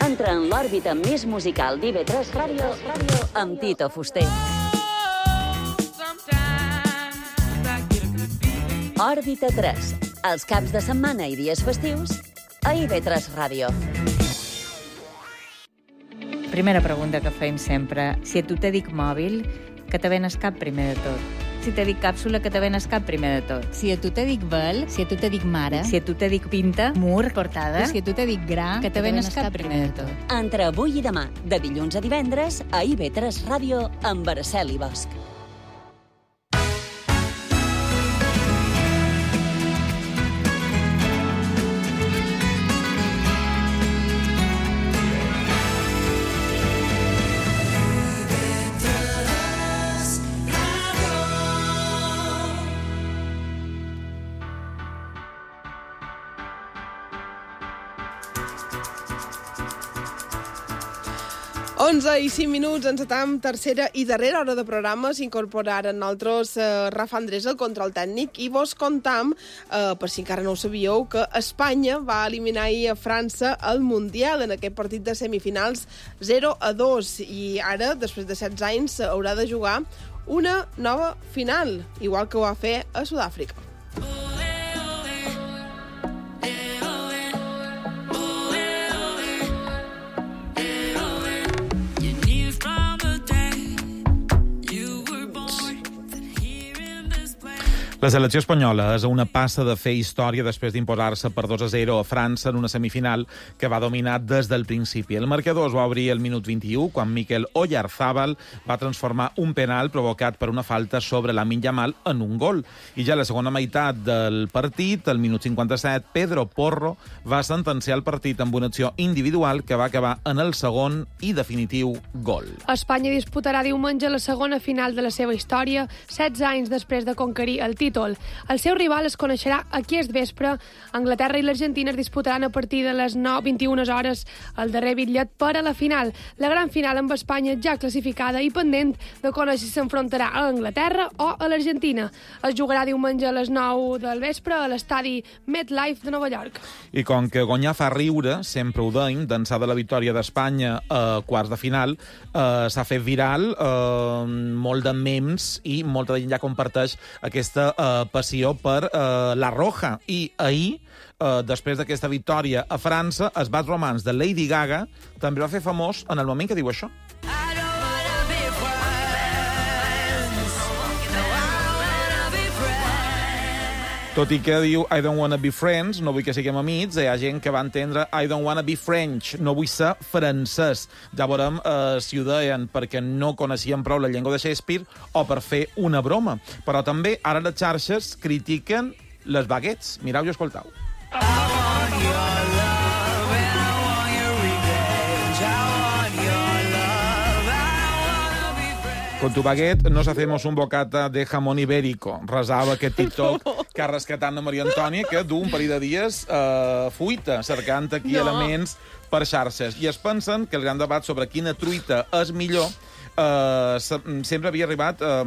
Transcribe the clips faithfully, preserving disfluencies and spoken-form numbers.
Entra en l'òrbita més musical d'I V tres Ràdio amb Tito Fuster. Òrbita tres, els caps de setmana i dies festius a I V tres Ràdio. Primera pregunta que fem sempre. Si a tu te dic mòbil, que te venes cap primer de tot? Si te dic càpsula, que te venes cap primer de tot? Si a tu te dic vel, si a tu te dic mare, si a tu te dic pinta, mur, portada, si a tu te dic gra, que te venes cap primer de tot? Entre avui i demà, de dilluns a divendres, a I V tres Ràdio amb Araceli Bosch. onze i cinc minuts, ens atam tercera i darrera hora de programa. S'incorporaren nosaltres eh, Rafa Andrés, el control tècnic, i vos contam, eh, per si encara no ho sabíeu, que Espanya va eliminar ahir a França al Mundial en aquest partit de semifinals zero a dos, i ara, després de setze anys, haurà de jugar una nova final, igual que ho va fer a Sud-àfrica. La selecció espanyola és a una passa de fer història després d'imposar-se per dos a zero a França en una semifinal que va dominar des del principi. El marcador es va obrir al minut vint-i-u, quan Mikel Oyarzabal va transformar un penal provocat per una falta sobre Lamine Yamal en un gol. I ja a la segona meitat del partit, al minut cinquanta-set, Pedro Porro va sentenciar el partit amb una acció individual que va acabar en el segon i definitiu gol. Espanya disputarà diumenge la segona final de la seva història, setze anys després de conquerir el títol. El seu rival es coneixerà aquest vespre. Anglaterra i l'Argentina es disputaran a partir de les nou vint i una hores el darrer bitllet per a la final. La gran final amb Espanya ja classificada i pendent de conèixer si s'enfrontarà a Anglaterra o a l'Argentina. Es jugarà diumenge a les nou del vespre a l'estadi MetLife de Nova York. I com que guanyar fa riure, sempre ho deim, d'ençà de la victòria d'Espanya a quarts de final, eh, s'ha fet viral, eh, molt de memes, i molta gent ja comparteix aquesta Uh, passió per uh, la Roja. I ahir, uh, després d'aquesta victòria a França, els Bad Romance de Lady Gaga també va fer famós en el moment que diu això. Tot i que diu I don't wanna be friends, no vull que siguem amics, hi ha gent que va entendre I don't wanna be French, no vull ser francès. Ja veurem eh, si ho deien perquè no coneixien prou la llengua de Shakespeare o per fer una broma. Però també ara les xarxes critiquen les baguettes. Mireu i escoltau. Con tu baguette nos hacemos un bocata de jamón ibérico. Resava aquest TikTok que ha rescatat a Maria Antònia, que du un parell de dies eh, fuita, cercant aquí no. elements per xarxes. I es pensen que el gran debat sobre quina truita és millor eh, sempre havia arribat, eh,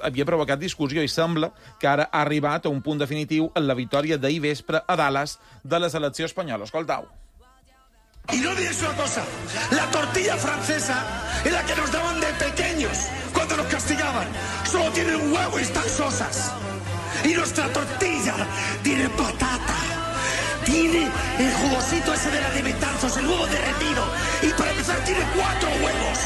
havia provocat discussió, i sembla que ara ha arribat a un punt definitiu en la victòria d'ahir vespre a Dallas de la selecció espanyola. Escoltau. Y no olvides una cosa, la tortilla francesa es la que nos daban de pequeños cuando nos castigaban. Solo tiene un huevo y están sosas. Y nuestra tortilla tiene patata, tiene el jugosito ese de la de metanzos, el huevo derretido. Y para empezar tiene cuatro huevos.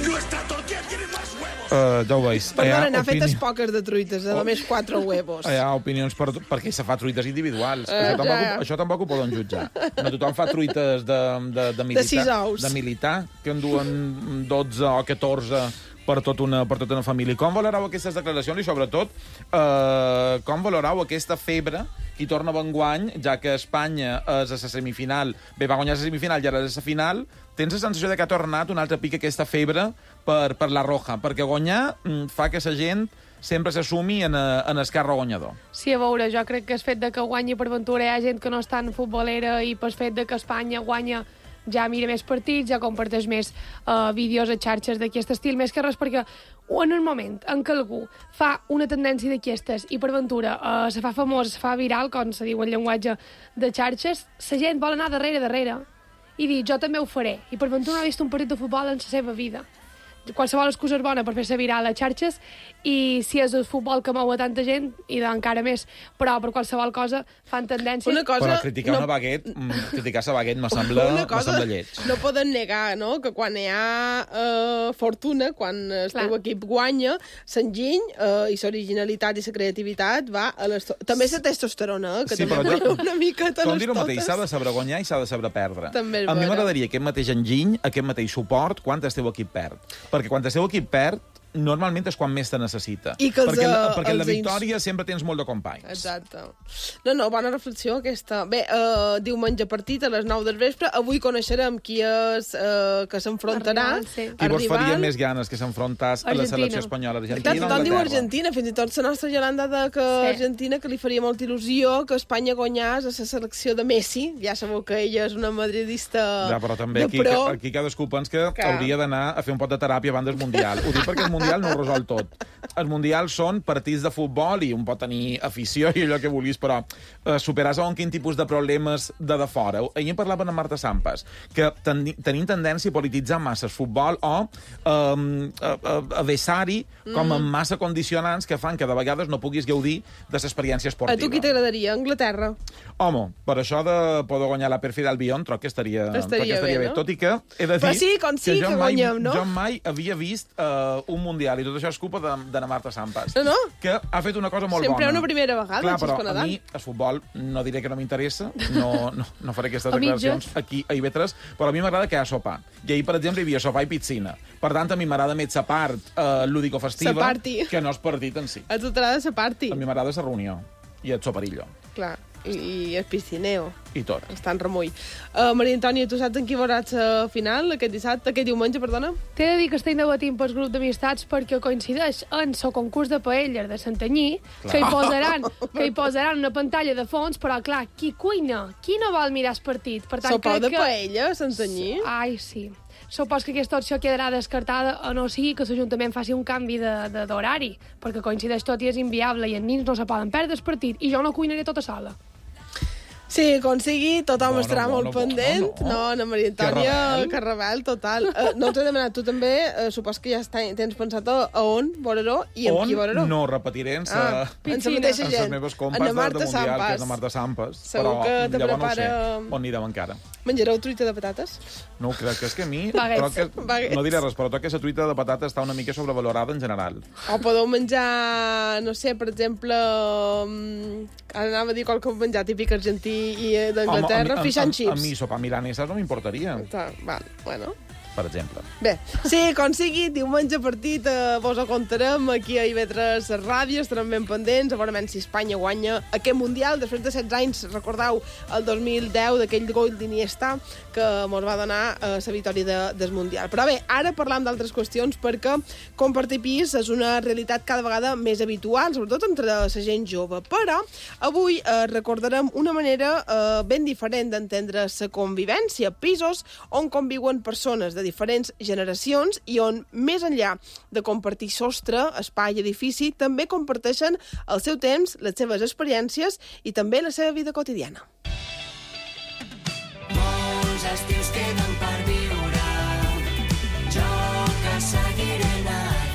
Nuestra tortilla tiene más huevos. Uh, ja ho veus. Perdona, n'ha opini... fetes poques de truites, de només quatre huevos. Hi ha opinions per, perquè se fa truites individuals. Uh, això, tampoc, uh. això tampoc ho poden jutjar. No tothom fa truites de, de, de militar. De sis ous. De militar, que en duen dotze o catorze per, tot una, per tota una família. Com valorau aquestes declaracions i, sobretot, eh, com valorau aquesta febre que hi torna enguany, ja que Espanya és a la semifinal, bé, va guanyar la semifinal i ara és a la final. Tens la sensació de que ha tornat un altre pic aquesta febre per, per la Roja, perquè guanyar fa que la gent sempre s'assumi en, en el carro guanyador. Sí, a veure, jo crec que el fet de que guanyi per ventura hi ha gent que no és tan futbolera, i pel fet de que Espanya guanya ja mira més partits, ja comparteix més uh, vídeos a xarxes d'aquest estil, més que res perquè en el moment en què algú fa una tendència d'aquestes i per ventura uh, se fa famós, se fa viral, com se diu en llenguatge de xarxes, la gent vol anar darrere, darrere. i dir, jo també ho faré. I per ventura no ha vist un partit de futbol en la seva vida. Qualsevol excusa és bona per fer-se viral a les xarxes, i si és el futbol que mou a tanta gent, i encara més, però per qualsevol cosa fan tendències. Una cosa, però criticar no, una baguette, criticar la baguette me sembla, una cosa, me sembla lleig. No poden negar, no?, que quan hi ha uh, fortuna, quan el teu equip guanya, s'enginy uh, i l'originalitat i la creativitat va a les... També la testosterona, eh, que sí, també jo, una miqueta com les dir el mateix, totes. s'ha de saber guanyar i s'ha de saber perdre. També és a mi vera. m'agradaria aquest mateix enginy, aquest mateix suport, quan el teu equip perd. Perquè quan el teu equip perd, normalment és quan més te necessita. I que els, perquè la, uh, perquè en la els victòria ins... sempre tens molt de companys. Exacte. No, no, bona reflexió aquesta. Bé, uh, diumenge partit a les nou del vespre. Avui coneixerem qui és uh, que s'enfrontarà. Sí. Qui vos faria més ganes que s'enfrontàs a la selecció espanyola? Argentina, Tothom diu Argentina, fins i tot la nostra Yolanda de que sí. Argentina, que li faria molta il·lusió que Espanya guanyés a la selecció de Messi. Ja sabeu que ella és una madridista ja, però també de aquí, pro. aquí cadascú pensa que, que hauria d'anar a fer un pot de teràpia abans del Mundial. Ho dic perquè el Mundial no ho resol tot. Els Mundials són partits de futbol i un pot tenir afició i allò que vulguis, però eh, superar segons quin tipus de problemes de de fora. Ahir parlaven amb Marta Sampas, que ten tenim tendència a polititzar massa el futbol o eh, a, a, a vessar-hi com amb massa condicionants que fan que de vegades no puguis gaudir de l'experiència esportiva. A tu qui t'agradaria? Anglaterra? Home, per això de poder guanyar la perfil d'Albion, troc que estaria, estaria, estaria bé, bé, no? Tot i que he de dir però sí, com sí, que, que, que guanyem, no? Jo mai havia vist uh, un Mundial, i tot això és culpa de, de la Marta Sampas, no, no. que ha fet una cosa molt Sempre bona. una primera vegada. Clar, però a mi el futbol no diré que no m'interessa, no, no, no faré aquestes A declaracions mitges. aquí a I V tres, però a mi m'agrada que hi ha sopar. I ahir, per exemple, hi havia sopar i piscina. Per tant, a mi m'agrada més la part uh, lúdico-festiva que no el partit en si. A tu t'agrada la party. A mi m'agrada la reunió i el soparillo. Clar, i, i el piscineo. I tot. Està en remull. Uh, Maria Antònia, tu saps en qui veuràs la final aquest dissabte, aquest diumenge, perdona? T'he de dir que estem debatint pel grup d'amistats perquè coincideix en el concurs de paelles de Santanyí, clar. que hi posaran que hi posaran una pantalla de fons, però clar, qui cuina? Qui no vol mirar el partit? Per tant, Sopar de que... paella, Santanyí? Ai, sí. Supos que aquesta opció quedarà descartada a no sigui que l'Ajuntament faci un canvi d'horari, perquè coincideix tot i és inviable i els nins no se poden perdre el partit i jo no cuinaré tota sola. Sí, com sigui, tothom Bona, estarà bona, molt pendent. bona, no. No, Ana Maria Antònia, Que rebel. que rebel, total. Uh, no t'he demanat, tu també, uh, supos que ja està, tens pensat a, a on veurà i amb on qui veurà. no repetiré en sa... Ah, en la mateixa amb les gent. meves compes En de, de Marta Mundial, que Sampas. és la Marta Sampas. Segur però que te llavors prepara- no ho sé, on anirem encara. Menjareu truita de patates? No ho crec, és que a mi... Baguettes. troc que, Baguettes. no diré res, però troc que la truita de patata està una mica sobrevalorada en general. O podeu menjar, no sé, per exemple, um, ara anava a dir qualque menjar típic argentí i eh, d'Anglaterra, Home, a mi- fish and a, a, chips. a mi sopar milanesas no m'importaria, Tá, val, bueno. per exemple. Bé, sí, com sigui, diumenge partit, eh, vos ho contarem aquí a I V tres Ràdio, estarem ben pendents, a veure si Espanya guanya aquest Mundial, després de setze anys, recordeu, el dos mil deu, d'aquell gol d'Iniesta, que mos va donar eh, la victòria de, del Mundial. Però bé, ara parlam d'altres qüestions, perquè compartir pis és una realitat cada vegada més habitual, sobretot entre la gent jove. Però avui eh, recordarem una manera eh, ben diferent d'entendre la convivència, pisos on conviuen persones de diferents generacions i on, més enllà de compartir sostre, espai, edifici, també comparteixen el seu temps, les seves experiències i també la seva vida quotidiana. Molts estius queden per viure, jo que seguiré nedant.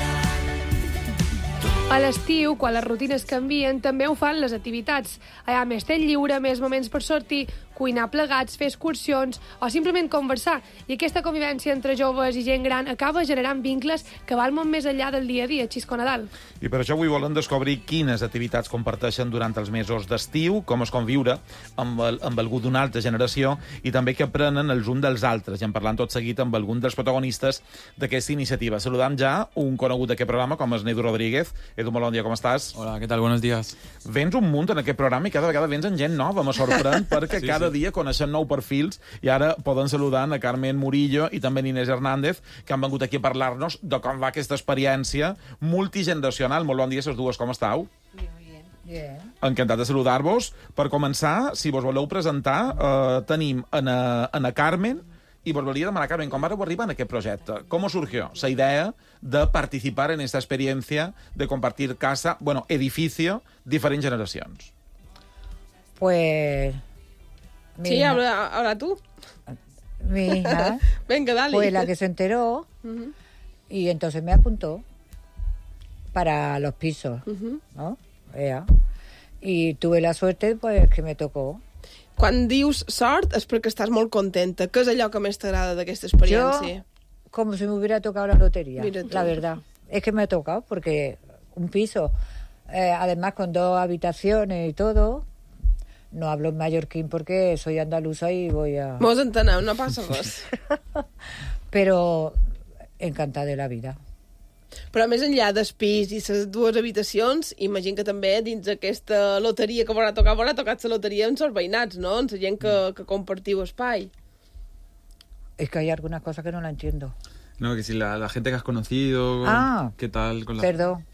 A l'estiu, quan les rutines canvien, també ho fan les activitats. Hi ha més temps lliure, més moments per sortir, cuinar plegats, fer excursions o simplement conversar. I aquesta convivència entre joves i gent gran acaba generant vincles que van molt més enllà del dia a dia, Xisco Nadal. I per això avui volen descobrir quines activitats comparteixen durant els mesos d'estiu, com es conviure amb, el, amb algú d'una altra generació i també què aprenen els uns dels altres. I en parlant tot seguit amb algun dels protagonistes d'aquesta iniciativa. Saludam ja un conegut d'aquest programa, com és Edu Rodríguez. Edu, molt bon dia, com estàs? Hola, ¿qué tal? Buenos días. Vens un munt en aquest programa i cada vegada vens en gent nova, me sorprèn, perquè sí, cada sí. dia coneixem nou perfils i ara poden saludar a Carmen Murillo i també a Inés Hernández, que han vengut aquí a parlar-nos de com va aquesta experiència multigeneracional. Molt bon dia, ses dues, com estàu? Bien, bien. Encantat de saludar-vos. Per començar, si vos voleu presentar, eh, tenim a Ana Carmen, y volvería a demanar, Carmen, ¿cómo arriba en aquest projecte? ¿Cómo surgió esa idea de participar en esta experiencia de compartir casa, bueno, edificio, diferents generacions? Pues... Sí, habla, habla tú. mi hija, Venga, dale. fue la que se enteró Ujú, y entonces me apuntó para los pisos, ujú. ¿no? Ea. Y tuve la suerte, pues, que me tocó. Quan dius sort és perquè estàs molt contenta. Què és allò que més t'agrada d'aquesta experiència? Yo, como si me hubiera tocado la lotería, Mira tú. la verdad. Es que me ha tocado porque un piso, eh, además con dos habitaciones y todo, no hablo en mallorquín porque soy andaluza y voy a... Mos entenem, no passa res. Pero encantada de la vida. Però més enllà del pis i les dues habitacions, imagino que també dins aquesta loteria que haurà tocat, haurà tocat la loteria amb els veïnats, no? Amb la gent que, que compartiu espai. Es que hay algunas cosas que no la entiendo. No, que si la, la gente que has conocido, Ah, ¿qué tal con la... Perdón.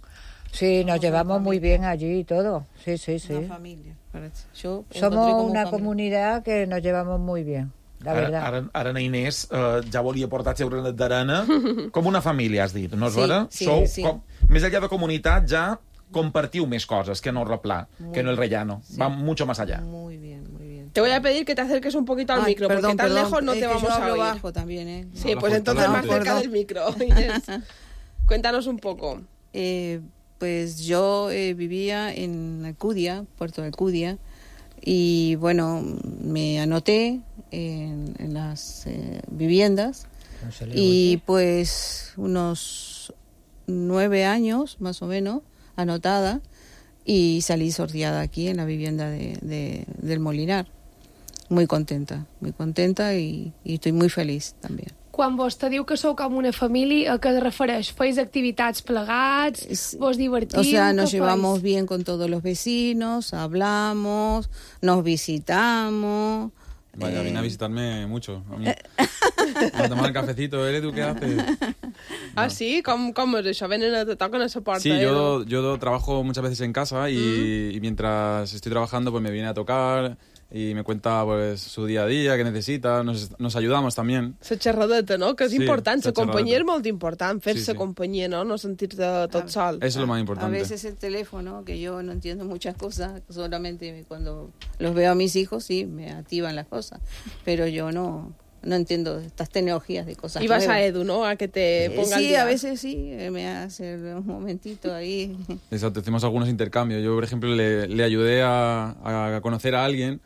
Sí, nos llevamos muy bien allí y todo. Sí, sí, sí. Una familia, parece. Yo encontré Somos como una familia. comunidad que nos llevamos muy bien, la Ara, verdad. ara, ara na Inés eh, ja volia portar el seu granet d'arena com una família, has dit, no és Sí, vera? sí, Sou, sí. Com, més enllà de comunitat, ja compartiu més coses que no el replà, Muy que no el rellano. sí. Va mucho más allá. Muy bien, muy bien. Te voy a pedir que te acerques un poquito al Ay, micro, perdón, porque tan perdón, lejos no es te que vamos yo a hablo oír. bajo también, ¿eh? Sí, Habla pues fuerte. entonces No, más cerca perdón. del micro, Inés. Cuéntanos un poco. Eh, pues yo eh, vivía en Alcudia, Puerto de Alcudia, y bueno, me anoté en, en las eh, viviendas No se le y oye. pues unos nueve años más o menos anotada y salí sorteada aquí en la vivienda de, de- del Molinar. Muy contenta, muy contenta y, y estoy muy feliz también. Quan vostè diu que sou com una família, a què es refereix? Feis activitats plegats? Es- Vos divertiu? O sea, nos Què llevamos feis? bien con todos los vecinos, hablamos, nos visitamos. Vaya, eh, vine a visitarme mucho. A, mí. a tomar el cafecito. ¿Eres tú qué haces? Ah, sí? Com, com és això? Venen a, te toquen a la porta, Sí, eh? yo, yo trabajo muchas veces en casa y, y mientras estoy trabajando pues me viene a tocar y me cuenta pues su día a día, qué necesita, nos, nos ayudamos también. La xerradeta, no? Que és Sí, important. La la companyia xerradeta. és molt important, fer-se Sí, sí. companyia, no? No sentir-te tot sol. Eso es lo más A importante. veces el teléfono, que yo no entiendo muchas cosas, solamente cuando los veo a mis hijos sí me activan las cosas, pero yo no, no entiendo estas tecnologías de cosas I vas nuevas. a Edu, no? A que te Eh, ponga al sí, día. a veces sí, eh, me hace un momentito ahí. Exacto, hacemos algunos intercambios. Yo, por ejemplo, le, le ayudé a, a conocer a alguien,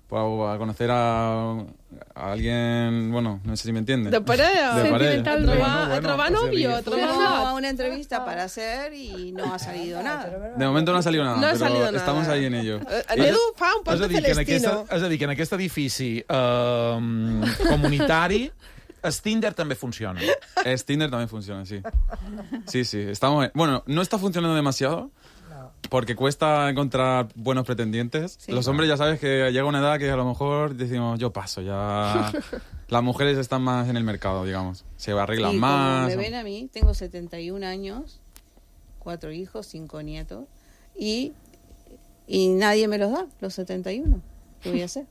pues, a conocer a, a alguien, bueno, no sé si me entiende. De parella. De parella. A Sentimentalment. trobar, Bueno, a trobar bueno, novio, pues a sí, trobar Fuimos not. a una entrevista para hacer y no ha salido nada. De momento no ha salido nada, No ha pero salido nada. estamos ahí en ello. Eh, En Edu fa un És poc a, de dir, que en aquesta, Celestino. és a dir, que en aquest edifici eh, comunitari el Tinder també funciona. Es Tinder también funciona, sí. Sí, sí, estamos... Bueno, no está funcionando demasiado, porque cuesta encontrar buenos pretendientes. Sí. Los hombres ya sabes que llega una edad que a lo mejor decimos, yo paso, ya... Las mujeres están más en el mercado, digamos. Se arreglan Y más. como me ven a mí, tengo setenta y un años, cuatro hijos, cinco nietos, y, y nadie me los da, los setenta y uno. ¿Qué voy a hacer?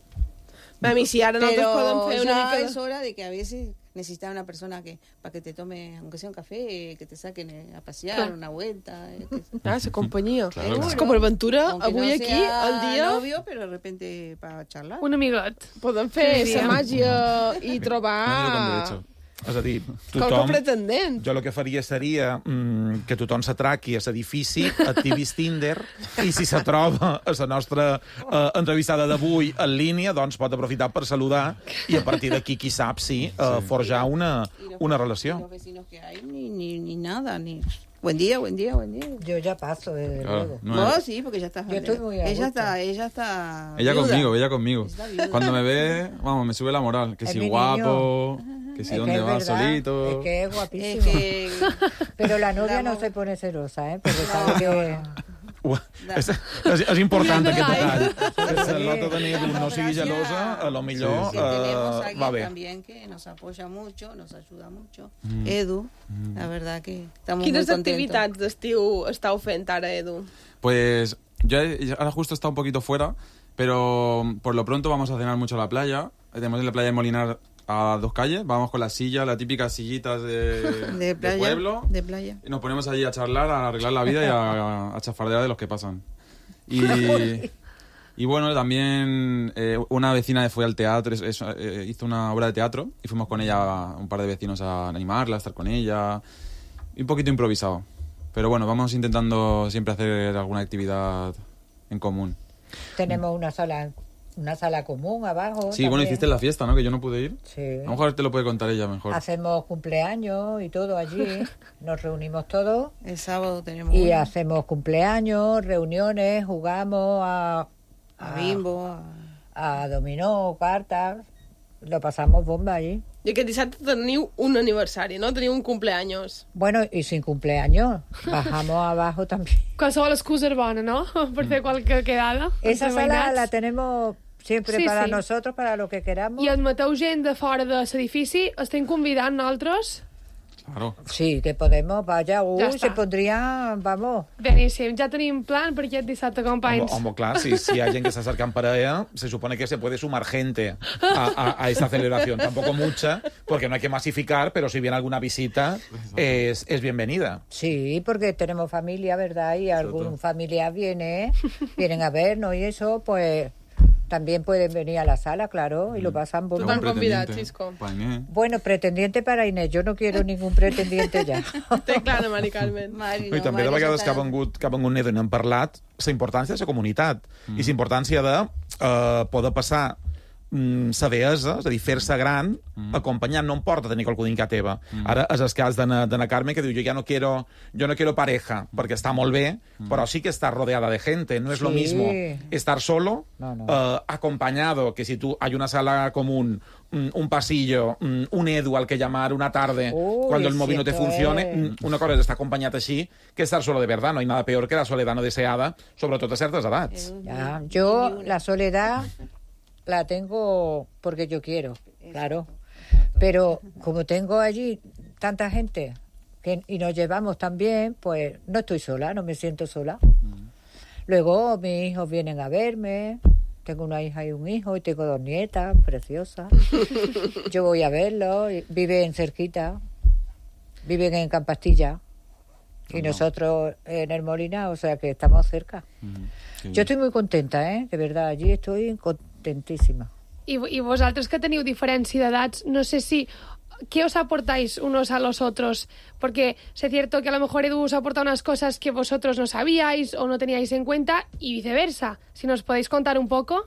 Mami, si ara nosaltres podem Pero fer una ya mica... es hora de que a veces necesitas una persona que para que te tome, aunque sea un café, que te saquen eh, a pasear, Claro. una vuelta. eh, que- Ah, la companyia. Claro. És com a aventura, Aunque avui no aquí, sea al dia, novio, pero de repente para charlar. Un amiguet. podem fer Sí, la sí. màgia i Nadie lo con trobar derecho. És a dir, qualque tothom... pretendent. Jo el que faria seria mm, que tothom s'atraqui a l'edifici, activis Tinder, i si se troba a la nostra eh, entrevistada d'avui en línia, doncs pot aprofitar per saludar i a partir d'aquí, qui sap, sí, eh, forjar una, Y los- una y relació. los vecinos que hay, ni, ni, ni nada, ni... Buen día, buen día, buen día. Yo ya paso, desde Claro, luego. no Vos es- sí, porque ya estás... Yo estoy muy a ella gusto. está, ella está... Ella viuda. conmigo, ella conmigo. Está viuda. Cuando me ve, vamos, me sube la moral. Que Es si mi guapo, que si Es dónde que es va verdad, solito. Es que es Es guapísimo. que... Pero la novia no Damos- se pone celosa, ¿eh? Porque sabe que... Ua, és, és, és important aquest detall. Que Sí. la nota de Nedu no sigui gelosa, a lo millor que tenemos eh, alguien va bé. también que nos apoya mucho, nos ayuda mucho. Edu, la verdad que estamos Quines muy contentos. activitats d'estiu estàu fent ara, Edu? Pues yo he- ahora justo está un poquito fuera, pero por lo pronto vamos a cenar mucho a la playa. Tenemos en la playa de Molinar a dos calles, vamos con la silla, las típicas sillitas de, De playa, pueblo. de playa. Y nos ponemos allí a charlar, a arreglar la vida y a, a chafardear de los que pasan. Y Y bueno, también eh, una vecina fue al teatro, es, es, eh, hizo una obra de teatro y fuimos con ella, un par de vecinos, a animarla, a estar con ella. Y un poquito improvisado. Pero bueno, vamos intentando siempre hacer alguna actividad en común. Tenemos una sala, una sala común abajo. Sí, también. bueno, hiciste la fiesta, ¿no? Que yo no pude ir. Sí. A lo mejor te lo puede contar ella mejor. Hacemos cumpleaños y todo allí. Nos reunimos todos. El sábado tenemos Y una. hacemos cumpleaños, reuniones, jugamos a... A bimbo, a... a dominó, cartas. Lo pasamos bomba allí. I aquest dissabte teniu un aniversari, no? Teniu un cumpleaños. Bueno, y sin cumpleaños. Bajamos abajo también. Qualsevol excusa és bona, no? Per fer qualque quedada. Esa entre sala veïnats. la tenemos siempre Sí, para sí. nosotros, para lo que queramos. I admeteu gent de fora de l'edifici? Estem convidant nosaltres? Claro. Sí, que podemos, vaya, uy, Ya se está. pondría, vamos. Beníssim, ja tenim plan per aquest dissabte, Home, companys. home, clar, si, si hay gente que está acercando para ella, se supone que se puede sumar gente a, a, a esta celebración. Tampoco mucha, porque no hay que masificar, pero si viene alguna visita, es, es bienvenida. Sí, porque tenemos familia, ¿verdad? Y algún familiar viene, vienen a vernos y eso, pues también pueden venir a la sala, claro, y lo pasan Tu bomba. t'han convidat, Xisco. Bueno, pretendiente para Inés, yo no quiero ningún pretendiente ya. Té clara, Mari Carmen. Mari, No, I també de vegades que ha vengut, que ha vengut Nedo i n'hem parlat, la importància de la comunitat mm. i la importància de eh, poder passar mm, sa deessa, és a dir, fer-se gran, mm. acompanyant, no em porta tenir qualcú dins casa teva. Mm. Ara és el cas d'Anna Carme, que diu, jo ja no quiero, yo no quiero pareja, perquè està molt bé, mm. però sí que està rodeada de gente. No es Sí. lo mismo estar solo, No, no. eh, acompañado, que si tú hay una sala común, mm, un pasillo, mm, un edu al que llamar una tarde, Uy, cuando el móvil no te siento, funcione, eh. mm, una cosa és estar acompanyat així que estar solo de verdad. No hay nada peor que la soledad no deseada, sobretot a certes edats. Ya, yo la soledad la tengo porque yo quiero, claro. Pero como tengo allí tanta gente que, y nos llevamos tan bien, pues no estoy sola, no me siento sola. Luego mis hijos vienen a verme. Tengo una hija y un hijo y tengo dos nietas preciosas. Yo voy a verlos. y Viven cerquita. Viven en Campastilla. Y No. nosotros en el Molina, o sea que estamos cerca. Sí. Yo estoy muy contenta, ¿eh? De verdad, allí estoy contentísima. I, I vosaltres que teniu diferència d'edats, no sé si... ¿Qué os aportáis unos a los otros? Porque es cierto que a lo mejor Edu os aporta unas cosas que vosotros no sabíais o no teníais en cuenta y viceversa. Si nos podéis contar un poco.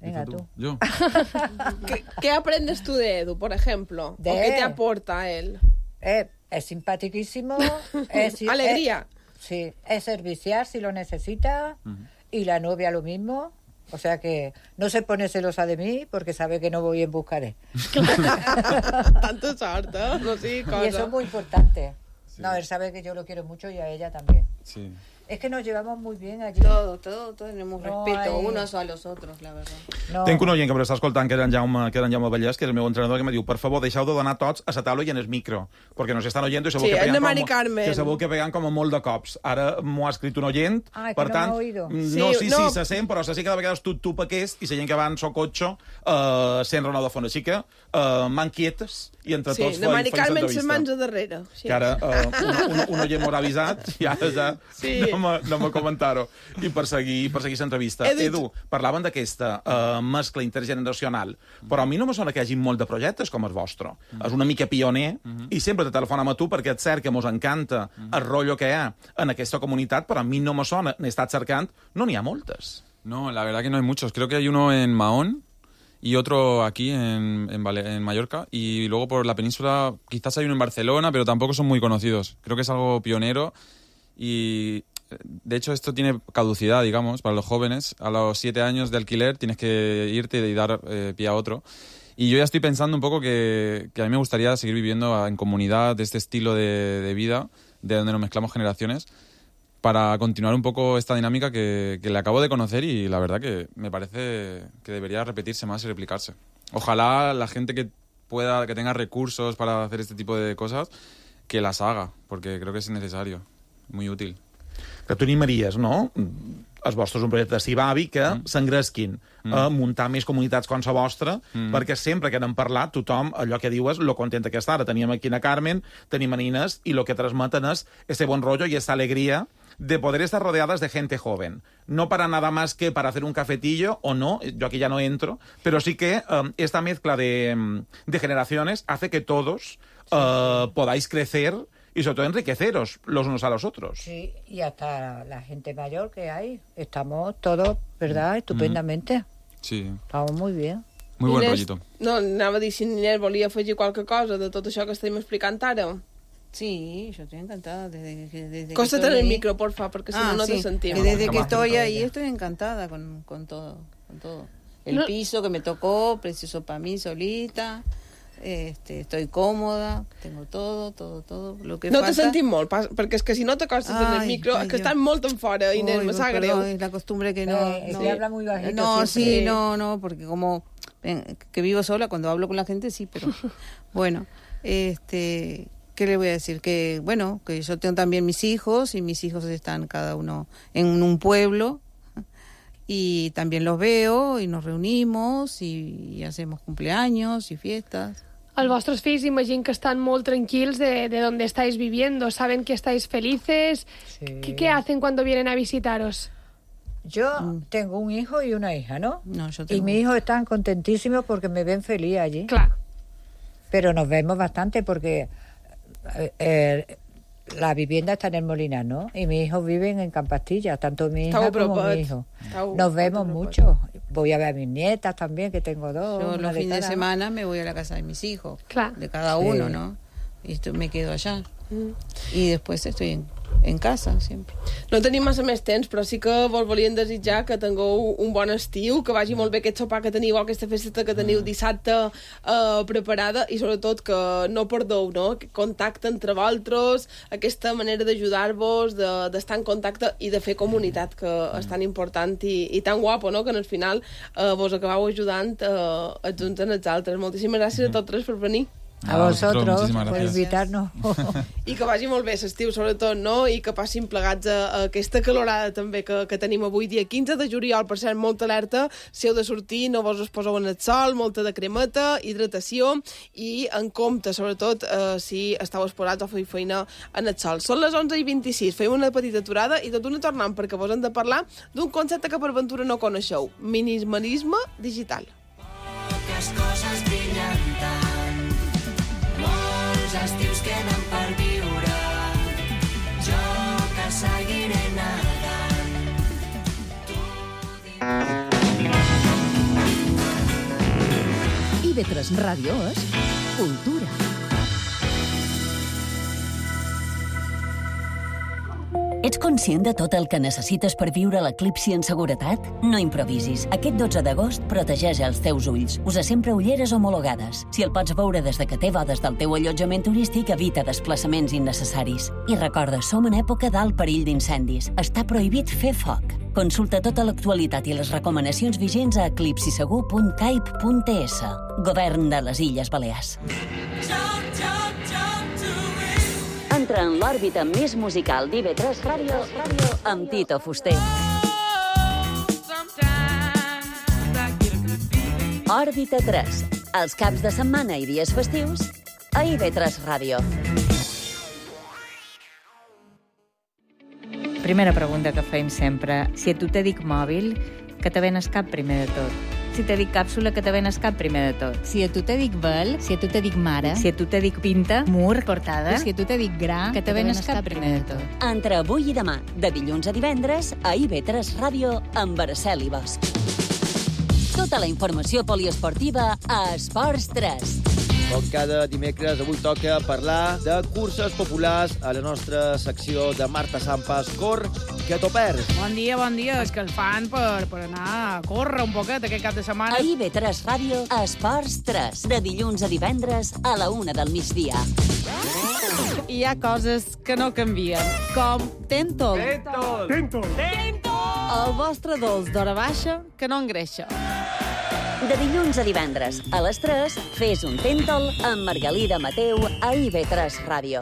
Venga, tú. Yo. ¿Qué, ¿Qué aprendes tú de Edu, por ejemplo? De ¿O qué te él. aporta él? Eh, es simpaticísimo. es, Alegría. es- sí, es servicial si lo necesita. Y la novia lo mismo. O sea que no se pone celosa de mí porque sabe que no voy en busca de. Tanto sort, ¿eh? No sigui cosa. Y eso es muy importante. No, él sabe que yo lo quiero mucho y a ella también. Sí. Es que nos llevamos muy bien allí. Todo, todo, todo tenemos No respeto hay- unos a los otros, la verdad. No. Tenc un oient que m'està escoltant, que era en Jaume, que era en Jaume Vallès, que és el meu entrenador, que me diu, per favor, deixeu de donar tots a la taula i en el micro, perquè nos estan oyendo i segur Sí, que el de peguen Mari com, Carmen. que segur que peguen com a molt de cops. Ara m'ho ha escrit un oient, Ai, que per no tant, m'ha oído. mm, Sí, no, sí, no. sí, se sent, però se sent que de vegades tu, tu aquest i la gent que va en so cotxe eh, sent Ronald de Font. Així que eh, man quietes i entre Sí, tots de Mari feis Carmen l'entrevista. ses mans a darrere. Sí. Que ara eh, un, un, un oient m'ho ha avisat i ara ja Sí. no me, no me comentar-ho. I per seguir, per seguir l'entrevista. Edu, Edu, parlaven d'aquesta uh, mescla intergeneracional, però a mi no me sona que hi hagi molt de projectes com el vostre. Mm. És una mica pioner mm. i sempre te telefonem a tu perquè és cert que mos encanta mm. el rotllo que hi ha en aquesta comunitat, però a mi no me sona, n'he estat cercant, no n'hi ha moltes. No, la verdad que no hay muchos. Creo que hay uno en Mahón y otro aquí en, en, Vale- en Mallorca. Y luego por la península quizás hay uno en Barcelona, pero tampoco son muy conocidos. Creo que es algo pionero y... De hecho, esto tiene caducidad, digamos, para los jóvenes. A los siete años de alquiler tienes que irte y dar eh, pie a otro. Y yo ya estoy pensando un poco que, que a mí me gustaría seguir viviendo en comunidad de este estilo de, de vida, de donde nos mezclamos generaciones, para continuar un poco esta dinámica que, que le acabo de conocer y la verdad que me parece que debería repetirse más y replicarse. Ojalá la gente que pueda, que tenga recursos para hacer este tipo de cosas, que las haga, porque creo que es necesario, muy útil. Que tu animaries, no? el vostre és un projecte de Cibavi, que mm. s'engresquin mm. a muntar més comunitats com la vostra, mm. perquè sempre que n'hem parlat, tothom, allò que diu és lo contenta que està. Ara teníem aquí a Carmen, tenim a Inés, i lo que transmeten és ese bon rollo y esa alegría de poder estar rodeadas de gente joven. No para nada más que para hacer un cafetillo, o no, yo aquí ya no entro, pero sí que um, esta mezcla de, um, de generaciones hace que todos uh, podáis crecer y sobre todo enriqueceros los unos a los otros. Sí, y hasta la gente mayor que hay, estamos todos, ¿verdad?, estupendamente. Sí. Estamos muy bien. Muy buen Inés, rollito. No, anava a dir si Inés volia afegir qualque cosa de tot això que estem explicant ara. Sí, yo estoy encantada desde que desde Cóstate que en el ahí. micro, porfa, porque si ah, no, no sí. te sentimos. Que desde que Más estoy dentro ahí ella. estoy encantada con, con todo, con todo. El No. piso que me tocó, precioso para mí solita. Este, estoy cómoda, tengo todo, todo, todo. Lo que No falta... te sentim molt, pas, perquè és que si no t'acostes en el Ai, micro, ai, que jo. estan molt en fora, Inés, Uy, me sap greu. perdón, es la costumbre que no... Eh, no, se habla muy bajito No, siempre. sí, no, no, porque como eh, que vivo sola, cuando hablo con la gente sí, pero bueno, este, ¿qué le voy a decir? Que bueno, que yo tengo también mis hijos y mis hijos están cada uno en un pueblo y también los veo y nos reunimos y, y hacemos cumpleaños y fiestas. Els vostres fills imagino que están molt tranquilos de, de donde estáis viviendo, saben que estáis felices. Sí. ¿Qué, ¿Qué hacen cuando vienen a visitaros? Yo tengo un hijo y una hija, ¿no? No, yo Y tengo... mis hijos están contentísimos porque me ven feliz allí. Claro. Pero nos vemos bastante porque eh, eh, la vivienda está en el Molinar, ¿no? Y mis hijos viven en Campastilla, tanto mi hija Estau como apropats. mi hijo. Estau- Nos vemos estau mucho. Voy a ver a mis nietas también, que tengo dos. Yo una los de fines de cada. semana me voy a la casa de mis hijos, Claro. de cada Sí. uno, ¿no? Y esto, me quedo allá. Mm. Y después estoy en, en casa siempre. No tenim massa més temps, però sí que vos volíem desitjar que tingueu un bon estiu, que vagi molt bé aquest sopar que teniu, aquesta festa que teniu dissabte eh, preparada, i sobretot que no perdeu, no? Aquest contacte entre vosaltres, aquesta manera d'ajudar-vos, de- d'estar en contacte i de fer comunitat, que és tan important i, i tan guapo, no? Que en el final eh, vos acabeu ajudant eh, els uns en els altres. Moltíssimes gràcies a tots tres per venir. A Ah, vosotros, muchísimas por gracias. invitarnos. I que vagi molt bé l'estiu, sobretot, no? I que passin plegats a, a aquesta calorada també que, que tenim avui, dia quinze de juliol, per cert, molta alerta, si heu de sortir, no vos us poseu en el sol, molta de cremeta, hidratació, i en compte, sobretot, eh, si esteu exposats o feu feina en el sol. Són les onze i vint-i-sis, fem una petita aturada i tot una tornant, perquè vos hem de parlar d'un concepte que per ventura no coneixeu, minimalisme digital. Poques coses brillen tant, molts estius queden per viure, jo que seguiré nedant. I ve tres Ràdio és cultura. Ets conscient de tot el que necessites per viure l'eclipsi en seguretat? No improvisis. Aquest dotze d'agost protegeix els teus ulls. Usa sempre ulleres homologades. Si el pots veure des de que té bodes del teu allotjament turístic, evita desplaçaments innecessaris. I recorda, som en època d'alt perill d'incendis. Està prohibit fer foc. Consulta tota l'actualitat i les recomanacions vigents a eclipsisegur punt caip punt es. Govern de les Illes Balears. Entra en l'òrbita més musical d'I V tres Ràdio amb Tito Fuster. Òrbita tres, els caps de setmana i dies festius a I V tres Ràdio. Primera pregunta que fem sempre. Si a tu te dic mòbil, que te ven el cap primer de tot? Si te dic càpsula, que te ven el cap primer de tot? Si a tu te dic vel, si a tu te dic mare, Si a tu te dic pinta, mur, portada, si a tu te dic gra, que te ven el cap primer de tot? Entre avui i demà, de dilluns a divendres, a I V tres Ràdio amb Araceli Bosch. Tota la informació poliesportiva a Esports tres. Com cada dimecres, avui toca parlar de curses populars a la nostra secció de Marta Sampas, Cor, que t'ho perds. Bon dia, bon dia. És que el fan per, per anar a córrer un poquet aquest cap de setmana. A I V tres Ràdio, a Esports tres, de dilluns a divendres a la una del migdia. Hi ha coses que no canvien, com Tentol. Tentol. Tentol. El vostre dolç d'hora baixa que no engreixa. De dilluns a divendres, a les tres, fes un Tentol amb Margalida Mateu a I V tres Ràdio.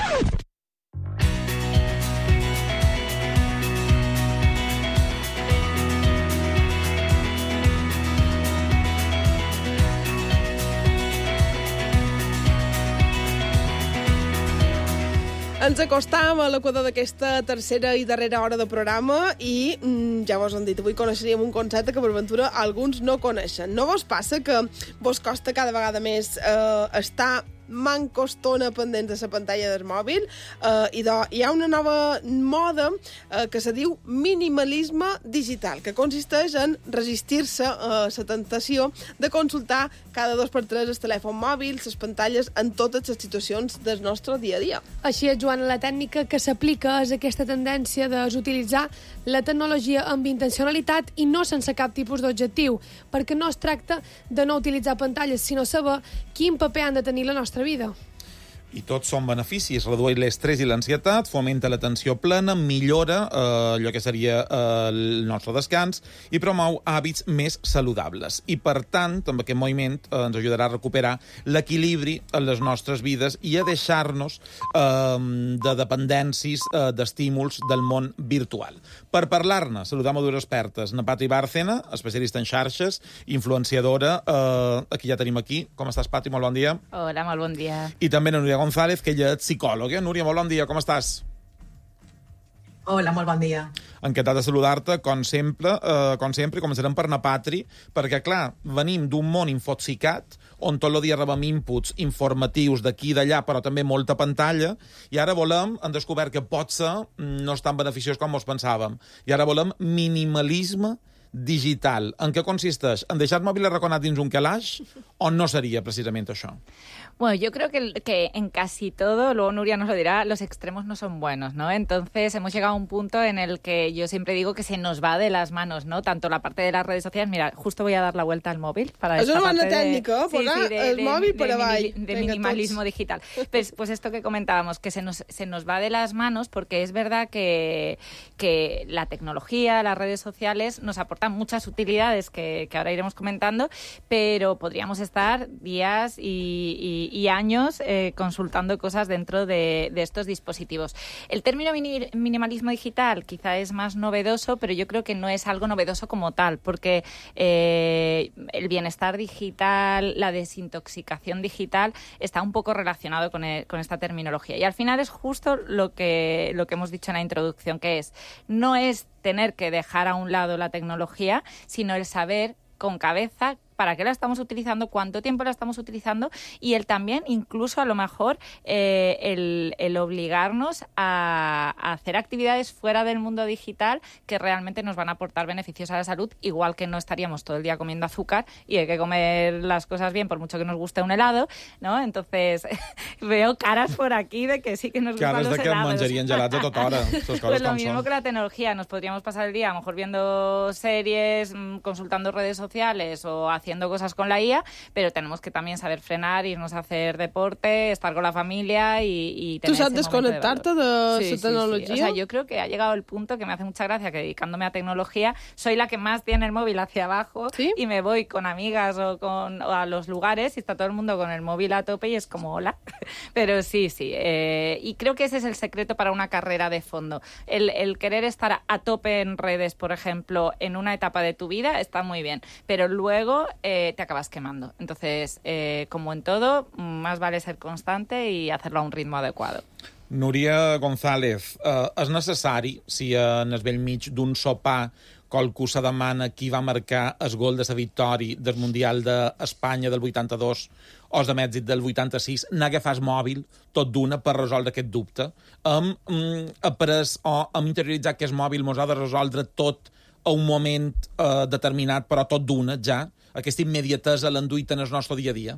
Ens acostam a l'equador d'aquesta tercera i darrera hora de programa i mm, ja vos han dit, avui coneixeríem un concepte que per ventura alguns no coneixen. No vos passa que vos costa cada vegada més eh, estar manco estona pendents de la pantalla del mòbil eh, i de, hi ha una nova moda eh, que se diu minimalisme digital, que consisteix en resistir-se a la tentació de consultar cada dos per tres el telèfon mòbil, les pantalles, en totes les situacions del nostre dia a dia. Així és, Joana, la tècnica que s'aplica és aquesta tendència d'utilitzar la tecnologia amb intencionalitat i no sense cap tipus d'objectiu, perquè no es tracta de no utilitzar pantalles, sinó saber quin paper han de tenir la nostra vida. I tots són beneficis. Redueix l'estrès i l'ansietat, fomenta l'atenció plena, millora eh, allò que seria eh, el nostre descans i promou hàbits més saludables. I, per tant, amb aquest moviment eh, ens ajudarà a recuperar l'equilibri en les nostres vides i a deixar-nos eh, de dependències, eh, d'estímuls del món virtual. Per parlar-ne, saludam a dues expertes. Na Patri Bárcena, especialista en xarxes, influenciadora, eh, aquí ja tenim aquí. Com estàs, Patri? Molt bon dia. Hola, molt bon dia. I també na Núria González, que ella és psicòloga. Núria, molt bon dia, com estàs? Hola, molt bon dia. Encantat de saludar-te, com sempre, eh, com sempre, començarem per na Patri, perquè, clar, venim d'un món infoxicat, on tot el dia rebem inputs informatius d'aquí i d'allà, però també molta pantalla, i ara volem, hem descobert que potser no és tan beneficiós com ens pensàvem, i ara volem minimalisme digital. En què consisteix? En deixar el mòbil arraconat dins un calaix o no sería precisamente això? Bueno, yo creo que, que en casi todo, luego Nuria nos lo dirá, los extremos no son buenos, ¿no? Entonces hemos llegado a un punto en el que yo siempre digo que se nos va de las manos, ¿no? Tanto la parte de las redes sociales, mira, justo voy a dar la vuelta al móvil para esta parte de... técnica, sí, sí, de, el de, móvil de, por de, de, de minimalismo digital. Pues, pues esto que comentábamos, que se nos, se nos va de las manos, porque es verdad que, que la tecnología, las redes sociales nos aportan muchas utilidades que, que ahora iremos comentando, pero podríamos estar días y, y, y años eh, consultando cosas dentro de, de estos dispositivos. El término mini, minimalismo digital quizá es más novedoso, pero yo creo que no es algo novedoso como tal, porque eh, el bienestar digital, la desintoxicación digital está un poco relacionado con, el, con esta terminología. Y al final es justo lo que, lo que hemos dicho en la introducción, que es, no es tener que dejar a un lado la tecnología, sino el saber con cabeza para qué la estamos utilizando, cuánto tiempo la estamos utilizando y el también, incluso a lo mejor, eh, el, el obligarnos a, a hacer actividades fuera del mundo digital que realmente nos van a aportar beneficios a la salud, igual que no estaríamos todo el día comiendo azúcar y hay que comer las cosas bien, por mucho que nos guste un helado, ¿no? Entonces, veo caras por aquí de que sí que nos caras gustan los de que helados. menjarien gelats a tota hora. Pues lo mismo que la tecnología, nos podríamos pasar el día a lo mejor viendo series, consultando redes sociales o haciendo haciendo cosas con la I A, pero tenemos que también saber frenar, irnos a hacer deporte, estar con la familia y, y tener ¿Tú sabes desconectarte de, de sí, su sí, tecnología? Sí. O sea, yo creo que ha llegado el punto que me hace mucha gracia que dedicándome a tecnología soy la que más tiene el móvil hacia abajo. ¿Sí? Y me voy con amigas o, con, o a los lugares y está todo el mundo con el móvil a tope y es como hola. Pero sí, sí. Eh, y creo que ese es el secreto para una carrera de fondo. El, el querer estar a tope en redes, por ejemplo, en una etapa de tu vida está muy bien, pero luego Eh, te acabas quemando. Entonces, eh, como en todo, más vale ser constante y hacerlo a un ritmo adecuado. Núria González, eh, és necessari, si en el vell mig d'un sopar qualcú se demana qui va marcar el gol de la victòria del Mundial d'Espanya del vuitanta-dos o el de Mèxic del vuitanta-sis, anar a agafar el mòbil tot d'una per resoldre aquest dubte. Hem mm, après o hem interioritzat que el mòbil mos ha de resoldre tot a un moment eh, determinat, però tot d'una, ja. Aquesta immediatesa l'enduït en el nostre dia a dia?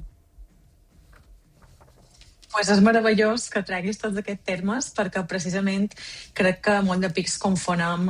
Pues és meravellós que treguis tots aquests termes perquè precisament crec que molt de pics confonem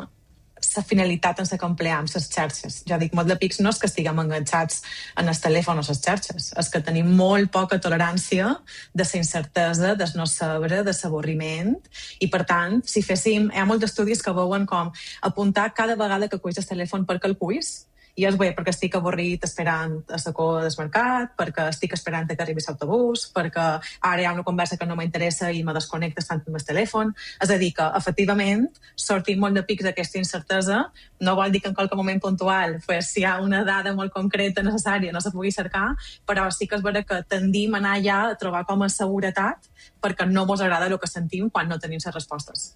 la finalitat en la que empleam les xarxes. Jo dic, molt de pics no és que estiguem enganxats en el telèfon o les xarxes, és que tenim molt poca tolerància de la incertesa, del no saber, de l'avorriment, i per tant, si féssim... Hi ha molts estudis que veuen com apuntar cada vegada que cuis el telèfon per que el cuis I és bé perquè estic avorrit esperant a la cua del mercat, perquè estic esperant que arribi l'autobús, perquè ara hi ha una conversa que no m'interessa i me desconnecta estant amb el telèfon. És a dir, que efectivament sortim molt de pics d'aquesta incertesa. No vol dir que en qualque moment puntual, pues, si hi ha una dada molt concreta necessària no se pugui cercar, però sí que és vera que tendim a anar ja a trobar com a seguretat perquè no mos agrada el que sentim quan no tenim les respostes.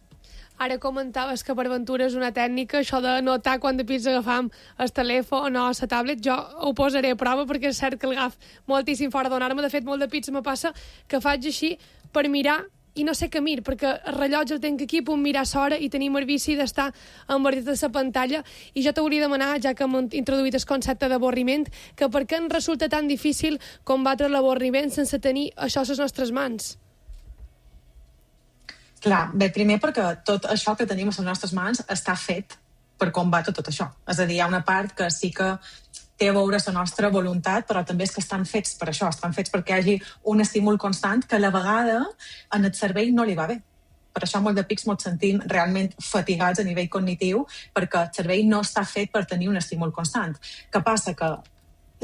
Ara comentaves que per Ventura és una tècnica, això de notar quan de pits agafam el telèfon o la tablet. Jo ho posaré a prova perquè és cert que el agaf moltíssim fora de donar-me. De fet, molt de pits me passa que faig així per mirar i no sé què mir, perquè el rellotge el tinc aquí, puc mirar l'hora i tenim el vici d'estar embordit a la pantalla. I jo t'hauria de demanar, ja que hem introduït el concepte d'avorriment, que per què ens resulta tan difícil combatre l'avorriment sense tenir això a les nostres mans? Clar, bé, primer perquè tot això que tenim a les nostres mans està fet per combatre tot això. És a dir, hi ha una part que sí que té a veure la nostra voluntat, però també és que estan fets per això, estan fets perquè hi hagi un estímul constant que a la vegada en el cervell no li va bé. Per això molt de pics ens sentim realment fatigats a nivell cognitiu, perquè el cervell no està fet per tenir un estímul constant. Què passa? Que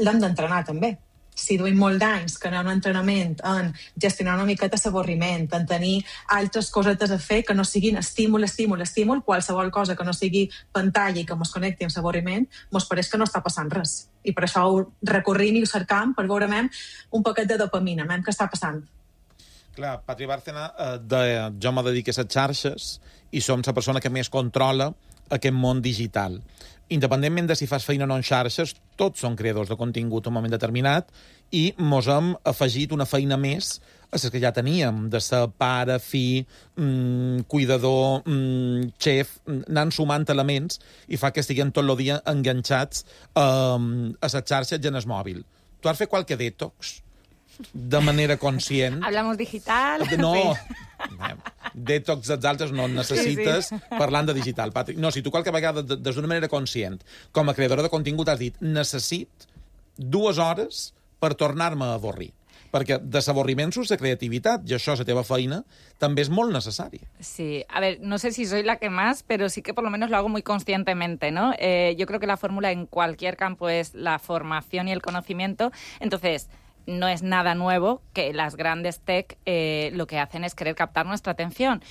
l'hem d'entrenar també. Si duim molt d'anys que anem a un entrenament en gestionar una miqueta l'avorriment, en tenir altres cosetes a fer que no siguin estímul, estímul, estímul, qualsevol cosa que no sigui pantalla i que mos connecti amb l'avorriment, mos pareix que no està passant res. I per això ho recorrim i ho cercam per veure un poquet de dopamina, què està passant. Clar, Patri Bárcena, eh, de, jo me dedico a les xarxes i som la persona que més controla aquest món digital. Independentment de si fas feina o no en xarxes, tots són creadors de contingut en un moment determinat i mos hem afegit una feina més a les que ja teníem, de ser pare, fill, mmm, cuidador, mmm, xef, anant sumant elements i fa que estiguem tot el dia enganxats um, a les xarxes i en el mòbil. Tu has fet qualque detox de manera conscient? Hablamos digital. No, sí. Detox dels altres no necessites sí, sí. parlant de digital, Patrick. No, si tu qualque vegada, des d'una manera conscient, com a creadora de contingut, has dit necessit dues hores per tornar-me a avorrir. Perquè de l'avorriment surts de creativitat, i això, la teva feina, també es molt necessari. Sí, a ver, no sé si soy la que más, pero sí que por lo menos lo hago muy conscientemente, ¿no? Eh, yo creo que la fórmula en cualquier campo es la formación y el conocimiento. Entonces, no es nada nuevo que las grandes tech eh, lo que hacen es querer captar nuestra atención.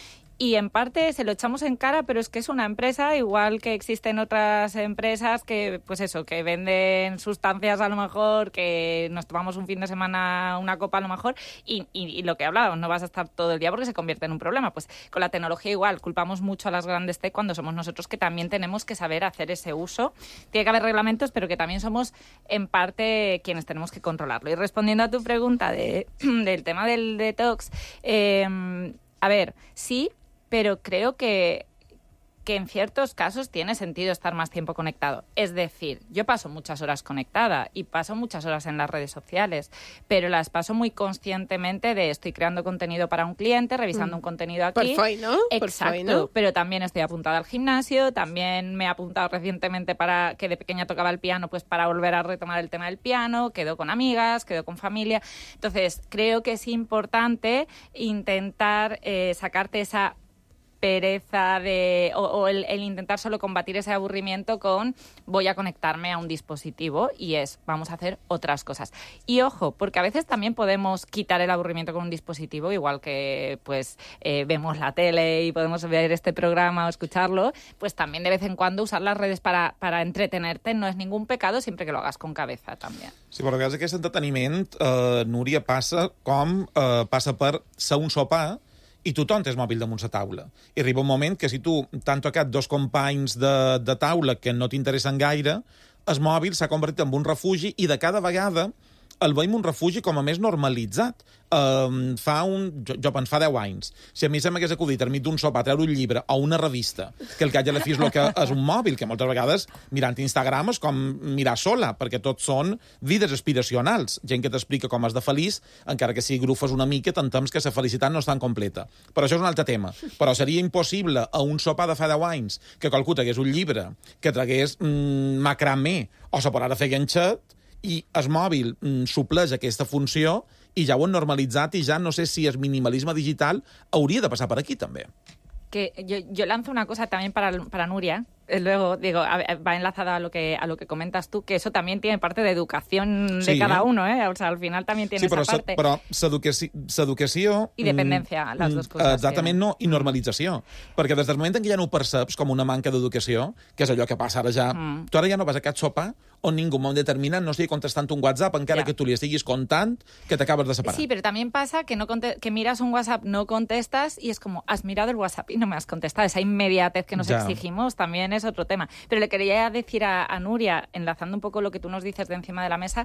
Y en parte se lo echamos en cara, pero es que es una empresa, igual que existen otras empresas que, pues eso, que venden sustancias a lo mejor, que nos tomamos un fin de semana una copa a lo mejor, y, y, y lo que hablábamos, no vas a estar todo el día porque se convierte en un problema. Pues con la tecnología igual, culpamos mucho a las grandes tech cuando somos nosotros que también tenemos que saber hacer ese uso. Tiene que haber reglamentos, pero que también somos en parte quienes tenemos que controlarlo. Y respondiendo a tu pregunta de, del tema del detox, eh, a ver, sí, pero creo que, que en ciertos casos tiene sentido estar más tiempo conectado. Es decir, yo paso muchas horas conectada y paso muchas horas en las redes sociales, pero las paso muy conscientemente de estoy creando contenido para un cliente, revisando mm. un contenido aquí. Per feina, Exacto, per feina. Pero también estoy apuntada al gimnasio, también me he apuntado recientemente para que de pequeña tocaba el piano, pues para volver a retomar el tema del piano, quedo con amigas, quedo con familia. Entonces, creo que es importante intentar eh, sacarte esa pereza de o, o el, el intentar solo combatir ese aburrimiento con voy a conectarme a un dispositivo y es vamos a hacer otras cosas. Y ojo, porque a veces también podemos quitar el aburrimiento con un dispositivo, igual que pues eh, vemos la tele y podemos ver este programa o escucharlo, pues también de vez en cuando usar las redes para, para entretenerte no es ningún pecado, siempre que lo hagas con cabeza también. Sí, però a vegades aquest entreteniment, eh, Núria, passa com eh, passa per ser un sopar i tothom té el mòbil damunt la taula. I arriba un moment que si tu t'han tocat dos companys de, de taula que no t'interessen gaire, el mòbil s'ha convertit en un refugi i de cada vegada el veiem un refugi com a més normalitzat. Um, fa un... Jo, jo penso, fa deu anys. Si a mi se m'hagués acudit enmig d'un sopar treure un llibre o una revista, que el que haig a la fi és el que és un mòbil, que moltes vegades mirant Instagram és com mirar sola, perquè tots són vides aspiracionals. Gent que t'explica com has de feliç, encara que si grufes una mica, t'entems que la felicitat no és tan completa. Però això és un altre tema. Però seria impossible a un sopar de fa deu anys que qualcú tragués un llibre, que tragués mm, macramé, o se podrà fer ganxet, i el mòbil mm, supleix aquesta funció i ja ho han normalitzat i ja no sé si el minimalisme digital hauria de passar per aquí també. Que yo, yo lanzo una cosa también para, para Nuria, luego, digo, a, va enlazada a lo que a lo que comentas tú, que eso también tiene parte de educación Sí, de cada eh? uno, ¿eh? O sea, al final también tiene Sí, però, esa parte. però s'educaci- s'educació... I dependència, mm, les dues mm, coses, Exactament, sí. no, i normalització. Perquè des del moment en què ja no ho perceps com una manca d'educació, que és allò que passa ara ja... Mm. Tu ara ja no vas a cap sopar on ningú en un moment determinat no estigui contestant un WhatsApp, encara Ja. que tu li estiguis contant que t'acabes de separar. Sí, pero también pasa que no conte- que miras un WhatsApp, no contestas y es como, has mirado el WhatsApp y no me has contestado. Esa inmediatez que nos Ya. exigimos también es otro tema. Pero le quería decir a, a Nuria, enlazando un poco lo que tú nos dices de encima de la mesa,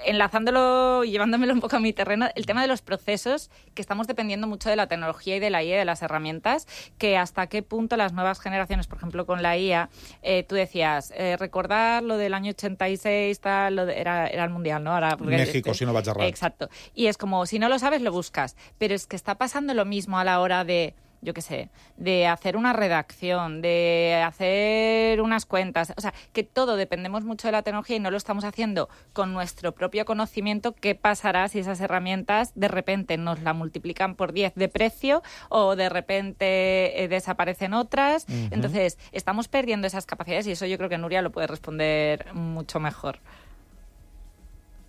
enlazándolo y llevándomelo un poco a mi terreno, el tema de los procesos, que estamos dependiendo mucho de la tecnología y de la I A, de las herramientas, que hasta qué punto las nuevas generaciones, por ejemplo, con la I A, eh, tú decías, eh, recordar lo del año ochenta y seis, tal, lo de- era, era el Mundial, ¿no? Ahora, porque- México, si no vaig errat. Exacto. Y es como, si no lo sabes, lo buscas. Pero es que está pasando lo mismo a la hora de, yo qué sé, de hacer una redacción, de hacer unas cuentas. O sea, que todo dependemos mucho de la tecnología y no lo estamos haciendo con nuestro propio conocimiento. ¿Qué pasará si esas herramientas de repente nos la multiplican por diez de precio o de repente eh, desaparecen otras? Ujú. Entonces, estamos perdiendo esas capacidades y eso yo creo que Nuria lo puede responder mucho mejor.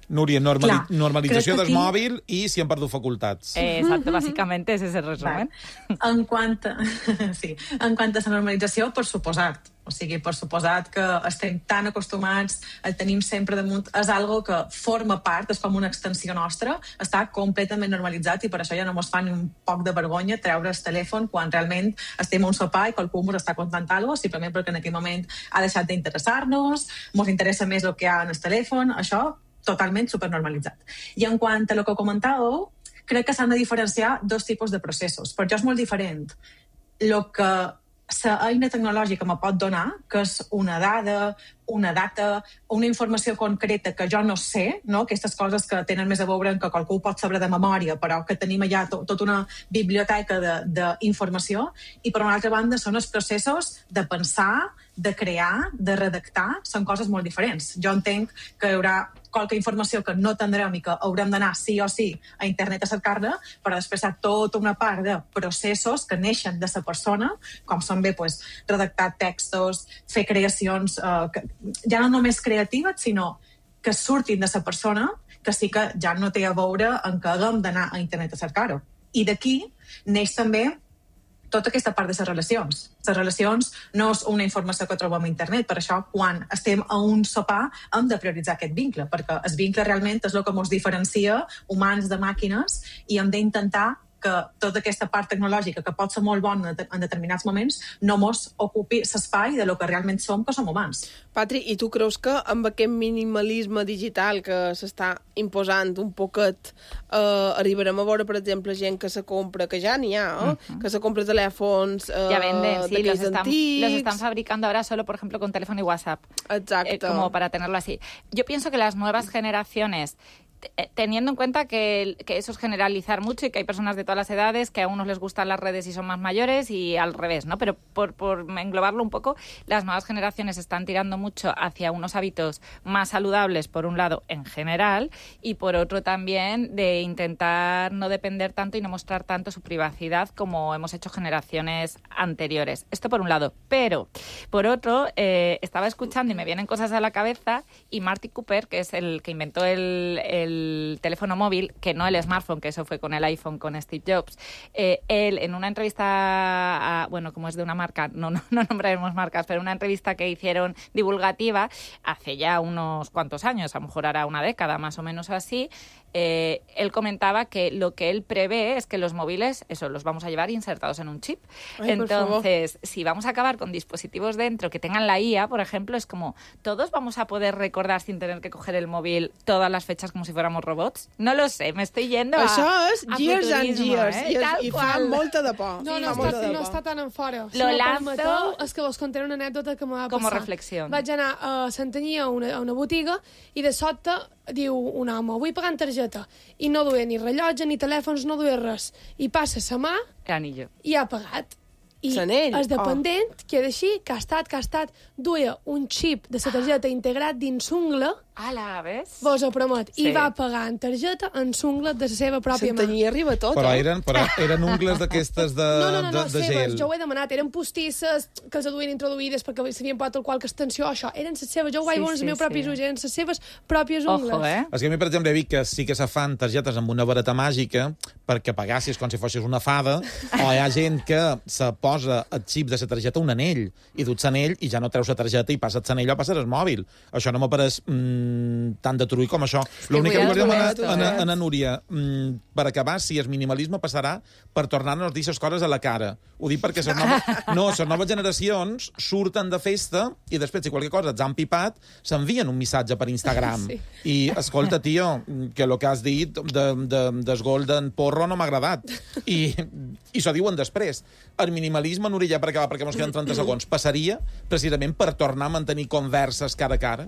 Núria, normali Clar, normalització crec que del aquí- mòbil i si hem perdut facultats. Eh, exacto, básicamente ese es el resumen. En quant a, sí, en quant a la normalització, per suposat. O sigui, per suposat que estem tan acostumats, el tenim sempre damunt, és algo que forma part, és com una extensió nostra, està completament normalitzat i per això ja no mos fa ni un poc de vergonya treure el telèfon quan realment estem a un sopar i qualcú mos està contant alguna cosa, simplement perquè en aquell moment ha deixat d'interessar-nos, mos interessa més el que hi ha en el telèfon, això totalment supernormalitzat. I en quant a lo que comentàveu, crec que s'han de diferenciar dos tipus de processos. Per jo és molt diferent el que la eina tecnològica me pot donar, que és una dada, una data, una informació concreta que jo no sé, no? Aquestes coses que tenen més a veure amb que qualcú pot saber de memòria, però que tenim allà to tota una biblioteca d'informació, i per una altra banda són els processos de pensar, de crear, de redactar, són coses molt diferents. Jo entenc que hi haurà qualque informació que no tindrem i que haurem d'anar sí o sí a internet a cercar-la, però després hi ha tota una part de processos que neixen de la persona, com són bé pues, redactar textos, fer creacions, eh, que, ja no només creatives, sinó que surtin de la persona, que sí que ja no té a veure en que haguem d'anar a internet a cercar-ho. I d'aquí neix també tota aquesta part de les relacions. Les relacions no és una informació que trobem a internet, per això quan estem a un sopar hem de prioritzar aquest vincle, perquè el vincle realment és el que ens diferencia humans de màquines i hem d'intentar que tota aquesta part tecnològica, que pot ser molt bona en determinats moments, no mos ocupi l'espai de lo que realment som, que som humans. Patri, i tu creus que amb aquest minimalisme digital que s'està imposant un poquet eh, arribarem a veure, per exemple, gent que se compra, que ja n'hi ha, eh? Uh-huh. que se compra telèfons eh, Ya venden, sí, los d'aquells están, antics... los están fabricando ahora solo, por ejemplo, con teléfono y WhatsApp. Exacto. Eh, como para tenerlo así. Yo pienso que las nuevas generaciones, t- teniendo en cuenta que, que eso es generalizar mucho y que hay personas de todas las edades que a unos les gustan las redes y son más mayores y al revés, ¿no? Pero por, por englobarlo un poco, las nuevas generaciones están tirando mucho hacia unos hábitos más saludables, por un lado, en general, y por otro también de intentar no depender tanto y no mostrar tanto su privacidad como hemos hecho generaciones anteriores. Esto por un lado. Pero, por otro, eh, estaba escuchando y me vienen cosas a la cabeza y Marty Cooper, que es el que inventó el, el teléfono móvil, que no el smartphone, que eso fue con el iPhone, con Steve Jobs, eh, él en una entrevista, a, bueno, como es de una marca, no, no, no nombraremos marcas, pero una entrevista que hicieron divulgativa hace ya unos cuantos años, a lo mejor hará una década más o menos así, eh, él comentaba que lo que él prevé es que los móviles, eso, los vamos a llevar insertados en un chip. Ay, Entonces, si vamos a acabar con dispositivos dentro que tengan la I A, por ejemplo, es como, ¿todos vamos a poder recordar sin tener que coger el móvil todas las fechas como si fuéramos robots? No lo sé, me estoy yendo a... Això és a years and futurismo, years, eh? i, és, Tal i fa qual. molta de por. No, Sí, no, fa molta està, de no por. està tan en fora. Si Lo me lanzo- permeteu, és que vos contaré una anècdota que m'ha passat. Como reflexión. Vaig anar a Santanyí a una, a una botiga i de sobte diu un home, vull pagar en targeta. I no duia ni rellotge, ni telèfons, no duia res. I passa sa mà El anillo. i ha pagat. I Sanell. el dependent oh. queda així, que ha estat, que ha estat, duia un xip de la targeta integrat dins l'ungla. Ala, ves? Vos ho promet. Sí. I va pagar en targeta en l'ungla de la seva pròpia mà. S'entenia arriba tot, Però eh? eren, però eren ungles d'aquestes de, No, no, no, no de, de seves, gel. jo ho he demanat. Eren postisses que els duien introduïdes perquè sabien per tot qualque extensió, això. Eren les seves, jo ho vaig Sí, veure en sí, els meus propis sí. ulls, eren les seves pròpies ungles. Ojo, eh? És que a mi, per exemple, he vist que sí que se fan targetes amb una vareta màgica perquè pagassis com si fossis una fada, o hi ha gent que se posa el xip de la targeta un anell, i duts l'anell i ja no treus la targeta i passes l'anell o passes el mòbil. Això no m'apareix mm, tan de trull com això. L'únic que vull li volia demanar dir, a, eh? a, a Núria, mm, per acabar, si el minimalisme passarà per tornar-nos a dir les coses a la cara. Ho dic perquè les noves, no, les noves generacions surten de festa i després, si qualque cosa ets han pipat, s'envien un missatge per Instagram. Sí. I, escolta, tio, que el que has dit de, de, del Golden Porro no m'ha agradat. I, i s'ho diuen després. El minimalisme, Núria, ja per acabar, perquè ens queden trenta segons, passaria precisament per tornar a mantenir converses cara a cara?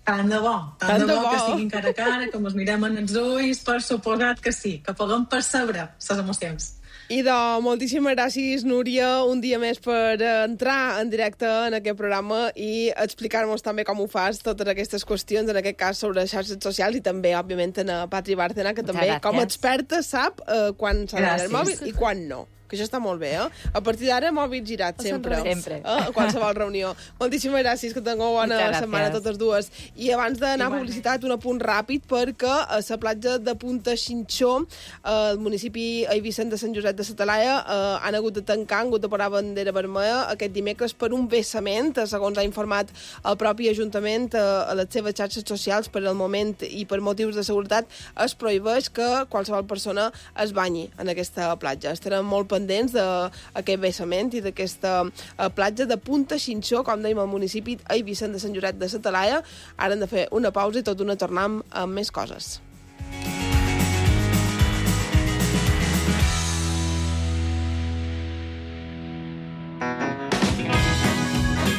Tant de bo, tant, Tant de, de bo, bo. que siguin cara a cara, que ens mirem en els ulls, per suposat que sí, que puguem percebre les emocions. I de moltíssimes gràcies, Núria, un dia més per entrar en directe en aquest programa i explicar-nos també com ho fas, totes aquestes qüestions, en aquest cas sobre xarxes socials, i també, òbviament, en Patri Bárcena, que també, gràcies. com a experta, sap eh, quan s'ha d'anar al Gràcies. mòbil i quan no. Que això està molt bé, eh? A partir d'ara, mòbil girat, sempre. Sempre. Eh? A qualsevol reunió. Moltíssimes gràcies, que tingueu bona Muchas setmana gracias. totes dues. I abans d'anar a Igualment. publicitat, un apunt ràpid, perquè a la platja de Punta Xinxó, al municipi Eivissent de Sant Josep de la Talaia, eh, han hagut de tancar, han hagut de parar bandera vermella aquest dimecres per un vessament, eh, segons ha informat el propi Ajuntament eh, a les seves xarxes socials. Per al moment i per motius de seguretat es prohibeix que qualsevol persona es banyi en aquesta platja. Estarem molt pendents d'aquest vessament i d'aquesta eh, platja de Punta Xinxó, com dèiem, al municipi Eivissent de Sant Josep de la Talaia. Ara hem de fer una pausa i tot una tornam amb més coses.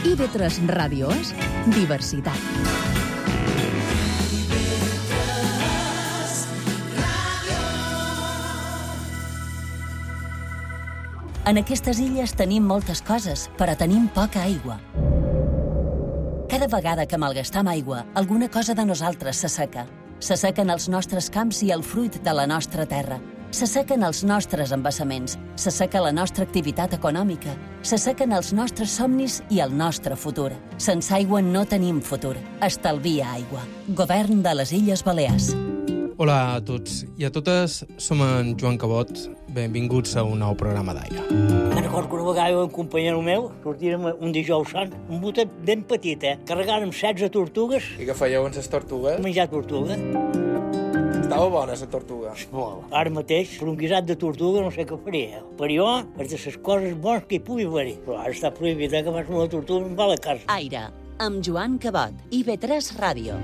I V tres Ràdio és diversitat. En aquestes illes tenim moltes coses, però tenim poca aigua. Cada vegada que malgastam aigua, alguna cosa de nosaltres s'asseca. S'assequen els nostres camps i el fruit de la nostra terra. S'assequen els nostres embassaments, s'asseca la nostra activitat econòmica, s'assequen els nostres somnis i el nostre futur. Sense aigua no tenim futur. Estalvia aigua. Govern de les Illes Balears. Hola a tots i a totes, som en Joan Cabot. Benvinguts a un nou programa d'Aire. Me'n recordo que una vegada un companyero meu sortírem un dijous sant, un botet ben petit, eh? Carregàrem setze tortugues. I què fèieu amb les tortugues? Menjar tortuga. Estava bona, la tortuga. Molt. Ara mateix, per un guisat de tortuga no sé què faria. Per jo, és de les coses bones que hi pugui haver-hi. Però ara està prohibit, eh, que fas una tortuga i em va a la casa. Aire, amb Joan Cabot, I V tres Ràdio.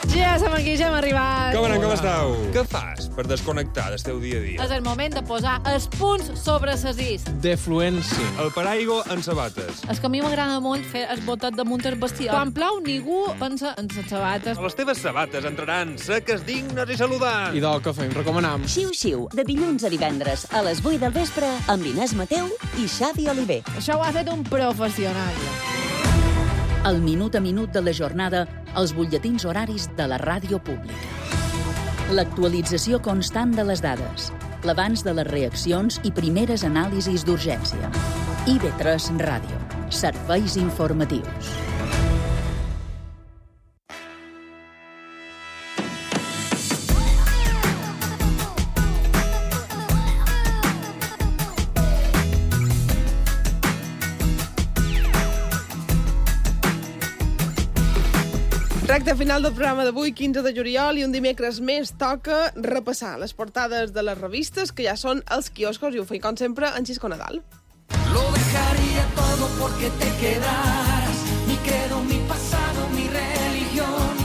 Ja som aquí, ja hem arribat. Com anem, com esteu? Què fas per desconnectar del teu dia a dia? És el moment de posar els punts sobre ses is. Defluència. El paraigua en sabates. És que a mi m'agrada molt fer el botet damunt el vestidor. Quan plou, ningú pensa en les sabates. Les teves sabates entraran seques, dignes i saludants. I del que fem, recomanam. Xiu Xiu, de dilluns a divendres a les vuit del vespre amb Inés Mateu i Xavi Oliver. Això ho ha fet un professional. El minut a minut de la jornada als butlletins horaris de la ràdio pública. L'actualització constant de les dades, l'abans de les reaccions i primeres anàlisis d'urgència. I V tres Ràdio. Serveis informatius. Recte final del programa d'avui, quinze de juliol, i un dimecres més toca repassar les portades de les revistes que ja són als quioscos, i ho feim, com sempre, en Xisco Nadal. Lo dejaría todo porque te quedaras. Mi credo, mi pasado, mi religión.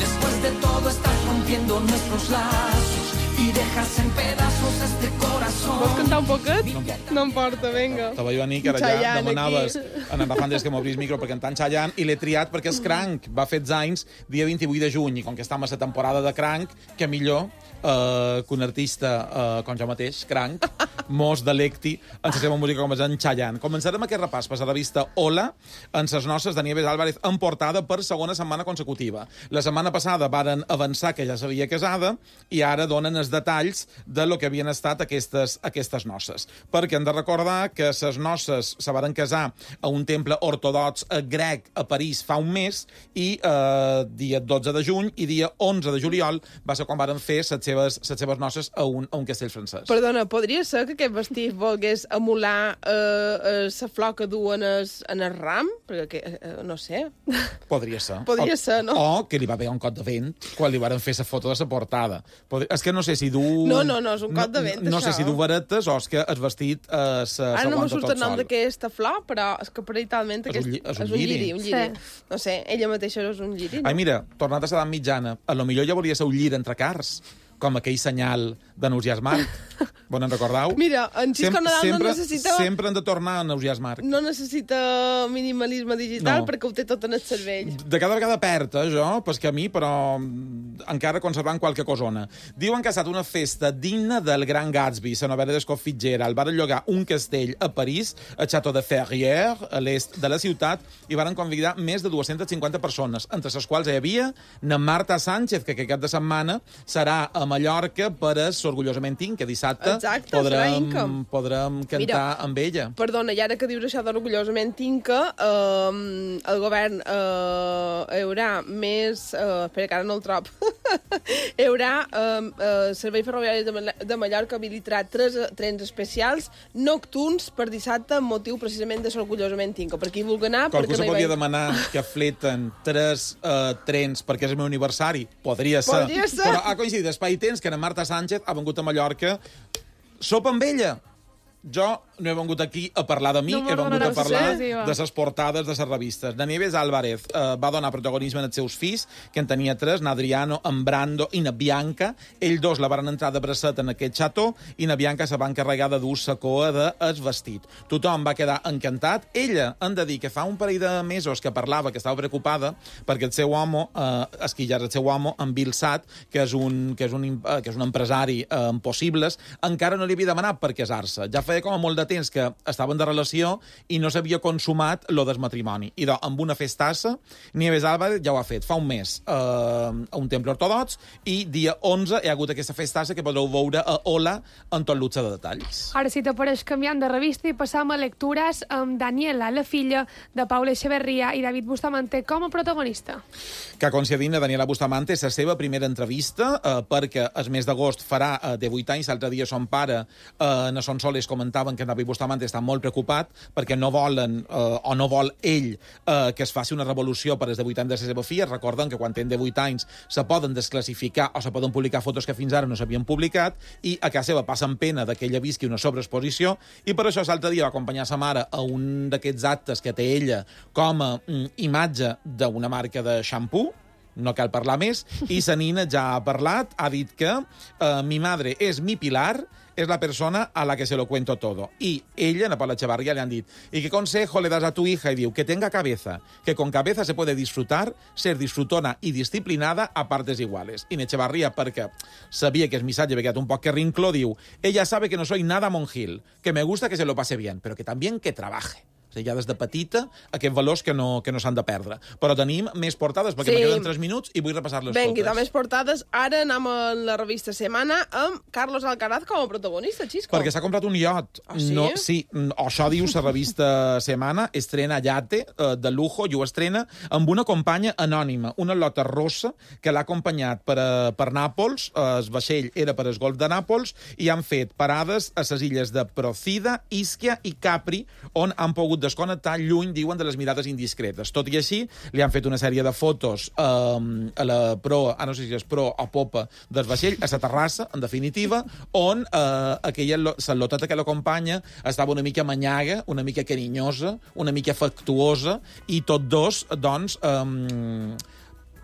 Después de todo estás rompiendo nuestros lazos y y dejas en pedazos este corazón. Vols cantar un poquet? No, no em porta, vinga. Te veia venir que ara ja demanaves en en Rafan des que m'obrís micro per cantar en Chayanne i l'he triat perquè és Cranc. Va fer anys dia vint-i-vuit de juny i com que estem a la temporada de Cranc, que millor eh, que un artista eh, com jo mateix, Cranc, mos delecti en la seva música com és en Chayanne. Començarem aquest repàs per la revista Hola en ses noces de Nieves Álvarez en portada per segona setmana consecutiva. La setmana passada varen avançar que ja s'havia casada i ara donen els detalls de lo que havien estat aquestes, aquestes noces. Perquè hem de recordar que ses noces se varen casar a un temple ortodox grec a París fa un mes i eh, dia dotze de juny i dia onze de juliol va ser quan varen fer les seves, les seves noces a un, a un castell francès. Perdona, podria ser que aquest vestit volgués emular eh, eh, la flor que duen es, en el ram? Perquè, eh, no sé. Podria ser. Podria o, ser, no? O que li va haver un cot de vent quan li varen fer la foto de la portada. Podria, és que no sé si du... No, no, no, és un cot de vent, no, no això. sé si du varetes o és que el vestit eh, s'aguanta Ara no me tot surt el nom sol. d'aquesta flor, però és que parcialment És un aquest, lli- és un és un lliri. lliri. Un lliri. Sí. No sé, ella mateixa és un lliri. No? Ai, mira, tornat a l'edat mitjana, a lo millor ja volia ser un llir entre cars, com aquell senyal de Nausiàs Marc. Bon, en recordeu? Mira, en Xisco Sem- Nadal sempre, no necessita... Sempre han de tornar a Nausiàs Marc. No necessita minimalisme digital No. perquè ho té tot en el cervell. De cada vegada perd, eh, jo, pel camí, però mm, encara conservant qualque cosona. Diuen que ha estat una festa digna del Gran Gatsby, la novel·la d'Escott Fitzgerald. Varen llogar un castell a París, a Château de Ferrières, a l'est de la ciutat, i varen convidar més de dues-centes cinquanta persones, entre les quals hi havia na Marta Sánchez, que aquest cap de setmana serà a Mallorca per a Orgullosament Inca. Dissabte Exacte, serà Inca. podrem, podrem cantar Mira, amb ella. Perdona, i ara que dius això d'orgullosament Inca, eh, el govern eh, hi haurà més... Eh, espera, que ara no el trob. Hi haurà eh, eh, Servei Ferroviari de, Mal de Mallorca habilitarà tres eh, trens especials nocturns per dissabte amb motiu precisament de l'orgullosament Inca. Per qui vulgui anar... Qualcú se no hi podria veig- demanar que fleten tres uh, trens perquè és el meu aniversari? Podria ser. Podria ser. Però ha coincidit espai i temps que na Marta Sánchez ha vengut a Mallorca. Sopa amb ella. Jo no he vengut aquí a parlar de mi, No he vengut a m'agradarà parlar ser, diva. de les portades de les revistes. Na Nieves Álvarez eh, va donar protagonisme als seus fills, que en tenia tres, na Adriano, en Brando i na Bianca. Ells dos la van entrar de bracet en aquest xató i na Bianca se va encarregar de dur la coa del vestit. Tothom va quedar encantat. Ella, han de dir que fa un parell de mesos que parlava, que estava preocupada, perquè el seu home, eh, esquillar el seu home, en Bill Satt, que és un, que és un, eh, que és un empresari eh, amb possibles, encara no li havia demanat per casar-se. Ja feia com a molt de temps que estaven de relació i no s'havia consumat lo del matrimoni. I doncs, amb una festassa, Nieves Álvarez ja ho ha fet fa un mes eh, a un temple ortodox i dia onze hi ha hagut aquesta festassa que podreu veure a Hola en tot l'utze de detalls. Ara, si t'apareix canviant de revista i passam a lectures amb Daniela, la filla de Paula Echeverría i David Bustamante com a protagonista. Que coincidint a Daniela Bustamante és la seva primera entrevista eh, perquè el mes d'agost farà eh, de vuit anys. L'altre dia son pare eh, na Son Soles comentaven que en David Bustamante està molt preocupat perquè no volen, eh, o no vol ell, eh, que es faci una revolució per els de vuit anys de la seva filla. Recorden que quan tenen de vuit anys se poden desclassificar o se poden publicar fotos que fins ara no s'havien publicat i a casa seva passen pena que ella visqui una sobreexposició i per això l'altre dia va acompanyar sa mare a un d'aquests actes que té ella com a mm, imatge d'una marca de xampú, no cal parlar més, i sa nina ja ha parlat, ha dit que eh, mi madre és mi pilar, es la persona a la que se lo cuento todo. Y ella, a Paula Echevarría, le han dit, ¿y qué consejo le das a tu hija? Y diu, que tenga cabeza, que con cabeza se puede disfrutar, ser disfrutona y disciplinada a partes iguales. Y en Echevarría, perquè sabia que el missatge havia quedat un poc que rinclo, diu, ella sabe que no soy nada monjil, que me gusta que se lo pase bien, pero que también que trabaje. O sigui, ja des de petita, aquests valors que no, que no s'han de perdre. Però tenim més portades, perquè Sí. me queden tres minuts i vull repassar-les Vinga, i totes. també portades. Ara anem a la revista Setmana amb Carlos Alcaraz com a protagonista, Xisco. Perquè s'ha comprat un iot. Ah, sí? No, sí, mm, això diu la revista Setmana, estrena Yate, eh, de lujo, i ho estrena amb una companya anònima, una lota rossa, que l'ha acompanyat per, a, per Nàpols, eh, el vaixell era per al golf de Nàpols, i han fet parades a les illes de Procida, Ischia i Capri, on han pogut desconnectar lluny, diuen, de les mirades indiscretes. Tot i així, li han fet una sèrie de fotos eh, a la pro, ah, no sé si és pro o popa del vaixell, a la terrassa, en definitiva, on eh, aquella, la loteta que l'acompanya estava una mica manyaga, una mica carinyosa, una mica afectuosa, i tots dos, doncs, eh,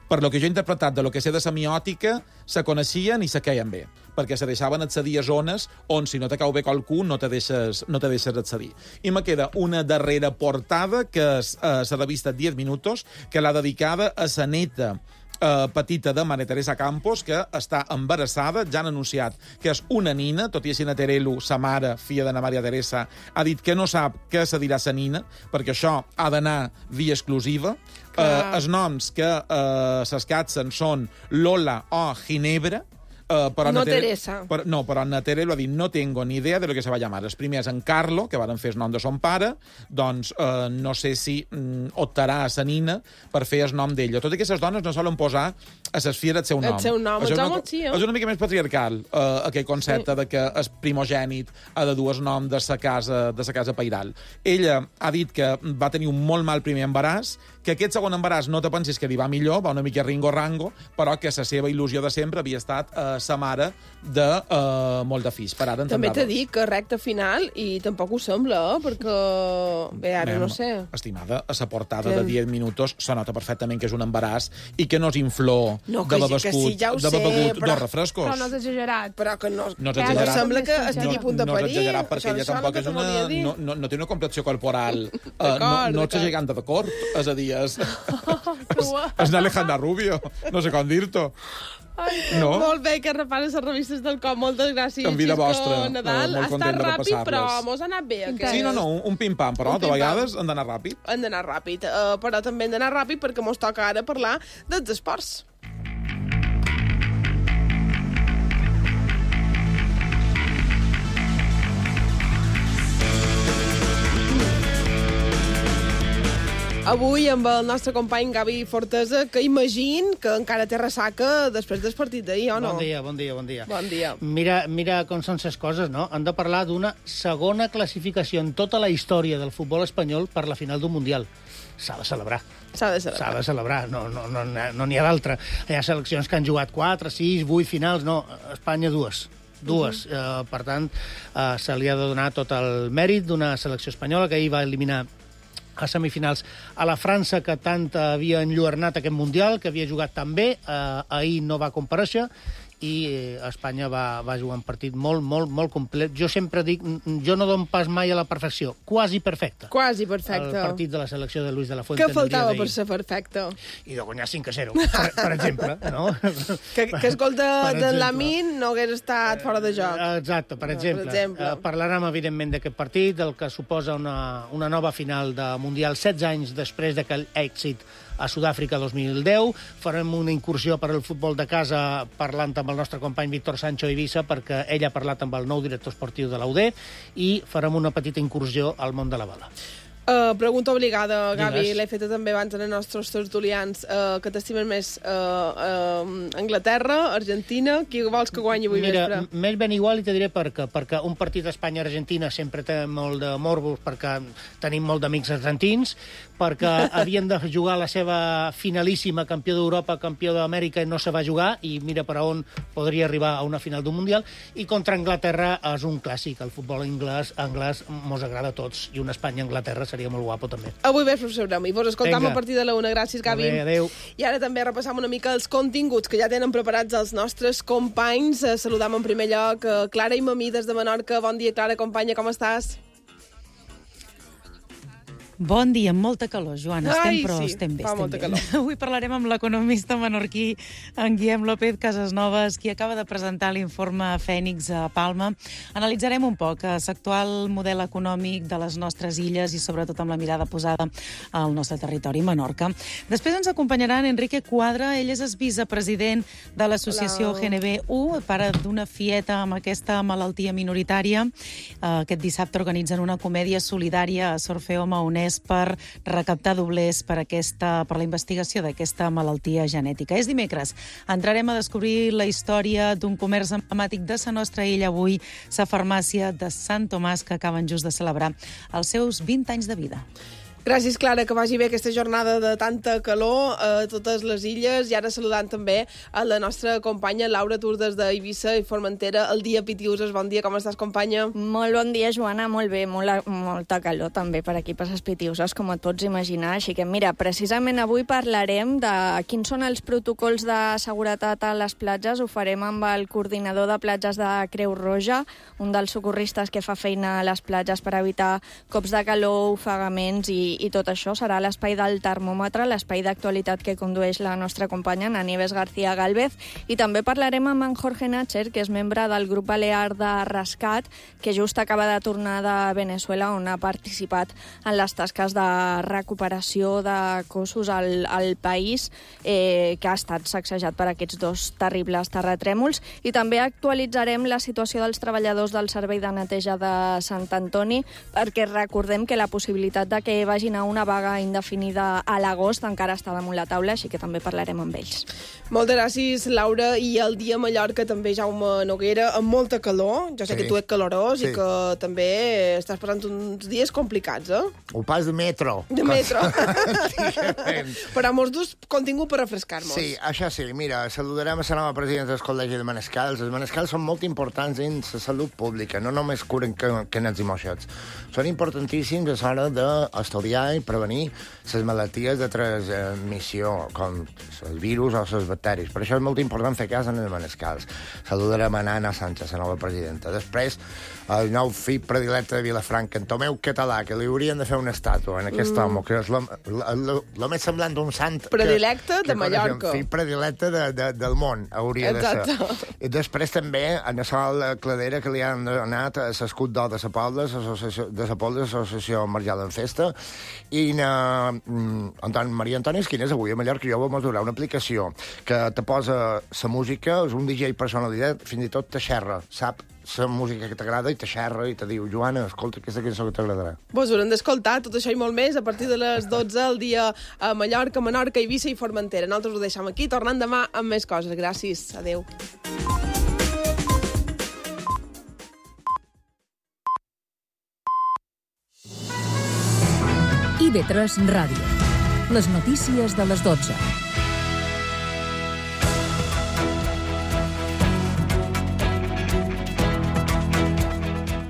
per lo que jo he interpretat de lo que sé de semiòtica, se coneixien i se queien bé. perquè se deixaven accedir a zones on, si no te cau bé qualcú, no te deixes, no te deixes accedir. I me queda una darrera portada, que és eh, la revista diez minutos, que l'ha dedicada a sa neta Uh, petita de Maria Teresa Campos, que està embarassada, ja han anunciat que és una nina, tot i així Naterelu, sa mare, filla d'Anna Maria Teresa, ha dit que no sap què se dirà sa nina, perquè això ha d'anar via exclusiva. Uh, els noms que uh, s'escatzen són Lola o Ginebra, Uh, però no Natere, Teresa. Per, no, però Naterelu ha dit no tengo ni idea de lo que se va llamar. El primer és en Carlo, que varen fer el nom de son pare, doncs uh, no sé si mm, optarà a sa nina per fer el nom d'ella. Tot i que les dones no solen posar a ses filles el seu nom. El seu nom, és els una, homes sí, eh? És una mica més patriarcal, uh, aquell concepte sí. de que el primogènit ha de dur el nom de sa casa, de sa casa pairal. Ella ha dit que va tenir un molt mal primer embaràs, que aquest segon embaràs no te pensis que li va millor, va una mica ringo-rango, però que la seva il·lusió de sempre havia estat eh, sa mare de eh, molt de fills. Per ara també t'he dit que recta final, i tampoc ho sembla, eh? Perquè... Bé, ara Mem, no sé. Estimada, a la portada que... de diez minutos se nota perfectament que és un embaràs i que no és inflor no, de begut, sí, ja de begut però... dos refrescos. Però no és exagerat. Però que no, no, és exagerat. no sembla que estigui no, a punt de parir. parir. No és exagerat, perquè ella tampoc és una... No, no, no té una complexió corporal. uh, no no és gegant de cort, és a dir, és... és, és una Alejandra Rubio, no sé com dir-t'ho. No? Molt bé, que repares les revistes del cop. Moltes gràcies, en vida Xisco vostra. Nadal. Uh, ha estat ràpid, però mos ha anat bé. Aquest. Sí, no, no, un, un pim-pam, però de vegades han d'anar ràpid. Han d'anar ràpid, uh, però també han d'anar ràpid perquè mos toca ara parlar dels esports. Avui amb el nostre company Gavi Fortesa, que imagine que encara té ressaca després del partit d'ahir, o no? Bon dia, bon dia, bon dia. Bon dia. Mira, mira com són les coses, no? Han de parlar d'una segona classificació en tota la història del futbol espanyol per la final d'un Mundial. S'ha de celebrar. S'ha de celebrar. S'ha de celebrar, no n'hi no, no, no ha d'altra. Hi ha seleccions que han jugat quatre, sis, vuit finals, no, Espanya dues. Dues. Uh -huh. uh, per tant, uh, se li ha de donar tot el mèrit d'una selecció espanyola que ahir va eliminar a semifinals a la França, que tant havia enlluernat aquest Mundial, que havia jugat tan bé, eh, ahir no va comparèixer, i eh, Espanya va, va jugar un partit molt, molt, molt complet. Jo sempre dic, jo no dono pas mai a la perfecció, quasi perfecte. Quasi perfecte. El partit de la selecció de Luis de la Fuente. Què faltava per ser perfecte? I de guanyar cinc a zero, per, per exemple. No? Que, que el gol de, de Lamin no hagués estat fora de joc. Exacte, per exemple. Per exemple. Uh, parlarem, evidentment, d'aquest partit, del que suposa una, una nova final de Mundial, setze anys després d'aquell èxit a Sud-àfrica dos mil deu. Farem una incursió per al futbol de casa parlant amb el nostre company Víctor Sancho Eivissa, perquè ell ha parlat amb el nou director esportiu de l'U D, i farem una petita incursió al món de la bala. Uh, pregunta obligada, Gavi, Digues. l'he feta també abans als nostres tertulians. Uh, que t'estimen més uh, uh, Anglaterra, Argentina? Qui vols que guanyi avui Mira, vespre? m'és ben igual i te diré per què. Perquè un partit Espanya-Argentina sempre té molt de morbos, perquè tenim molt d'amics argentins, perquè havien de jugar la seva finalíssima, campió d'Europa, campió d'Amèrica, i no se va jugar, i mira per on podria arribar a una final d'un Mundial. I contra Anglaterra és un clàssic. El futbol anglès, anglès mos agrada a tots, i una Espanya-Anglaterra seria molt guapo, també. Avui vespre ho sabrem. I vos escoltam Venga. a partir de la una. Gràcies, Gavi. Bé, adéu. I ara també repassam una mica els continguts que ja tenen preparats els nostres companys. Eh, saludam en primer lloc eh, Clara i Mamí des de Menorca. Bon dia, Clara, companya, com estàs? Bon dia, amb molta calor, Joana. Estem, Ai, però sí, estem bé. fa Estem molta bé. calor. Avui parlarem amb l'economista menorquí, en Guillem López Casasnovas, qui acaba de presentar l'informe Fènix a Palma. Analitzarem un poc l'actual model econòmic de les nostres illes i sobretot amb la mirada posada al nostre territori, Menorca. Després ens acompanyaran Enrique Quadra. Ell és el vicepresident de l'associació Hola. G N B U, pare d'una fieta amb aquesta malaltia minoritària. Aquest dissabte organitzen una comèdia solidària a Sorfeo Maonès per recaptar doblers per, aquesta, per la investigació d'aquesta malaltia genètica. És dimecres. Entrarem a descobrir la història d'un comerç emblemàtic de la nostra illa avui, la farmàcia de Sant Tomàs, que acaben just de celebrar els seus vint anys de vida. Gràcies, Clara, que vagi bé aquesta jornada de tanta calor a totes les illes. I ara saludant també a la nostra companya Laura Tur des d'Eivissa i Formentera. El dia Pitiuses, bon dia, com estàs, companya? Molt bon dia, Joana, molt bé, molt, molta calor també per aquí, per les Pitiuses, com et pots imaginar. Així que, mira, precisament avui parlarem de quins són els protocols de seguretat a les platges. Ho farem amb el coordinador de platges de Creu Roja, un dels socorristes que fa feina a les platges per evitar cops de calor, ofegaments i i tot això. Serà l'espai del termòmetre, l'espai d'actualitat que condueix la nostra companya, na Nieves García Gálvez, i també parlarem amb en Jorge Natcher, que és membre del grup balear de rescat, que just acaba de tornar de Venezuela, on ha participat en les tasques de recuperació de cossos al, al país, eh, que ha estat sacsejat per aquests dos terribles terratrèmols, i també actualitzarem la situació dels treballadors del Servei de Neteja de Sant Antoni, perquè recordem que la possibilitat de que vagi a una vaga indefinida a l'agost encara està damunt la taula, així que també parlarem amb ells. Moltes gràcies, Laura. I el dia a Mallorca també, Jaume Noguera, amb molta calor. Jo sé sí. que tu ets calorós sí. i que també estàs passant uns dies complicats, eh? Un pas de metro. De metro. Però amb els dos contingut per refrescar-nos. Sí, això sí. Mira, saludarem a la nova presidenta del Col·legi de Manescals. Els Manescals són molt importants en la salut pública, no només curen canets i moixets. Són importantíssims a l'hora d'estudiar i prevenir les malalties de transmissió, com els virus o els bacteris. Per això és molt important fer cas en els Manescals. Saludarem a Anna Sánchez, la nova presidenta. Després, el nou fill predilecte de Vilafranca, en Tomeu Català, que li haurien de fer una estàtua en aquest mm. home, que és el més semblant d'un sant... Predilecte que, de Mallorca. El fill predilecte de, de, del món, hauria Exacte. de ser. I després també, a la Sol Cladera, que li han donat a l'escut d'or de la Pobla, de la Pobla, l'Associació Marjal en Festa, i na, mm, Anton, Maria Antònia Esquines, avui a Mallorca jo vam adorar una aplicació que te posa la música, és un D J personalitat, fins i tot te xerra, sap la música que t'agrada i te xerra i te diu, Joana, escolta aquesta cançó que t'agradarà. Vos haurem d'escoltar tot això i molt més a partir de les dotze al dia a Mallorca, Menorca, Eivissa i Formentera. Nosaltres ho deixem aquí, tornant demà amb més coses. Gràcies. Adéu. I V tres Ràdio. Les notícies de les dotze.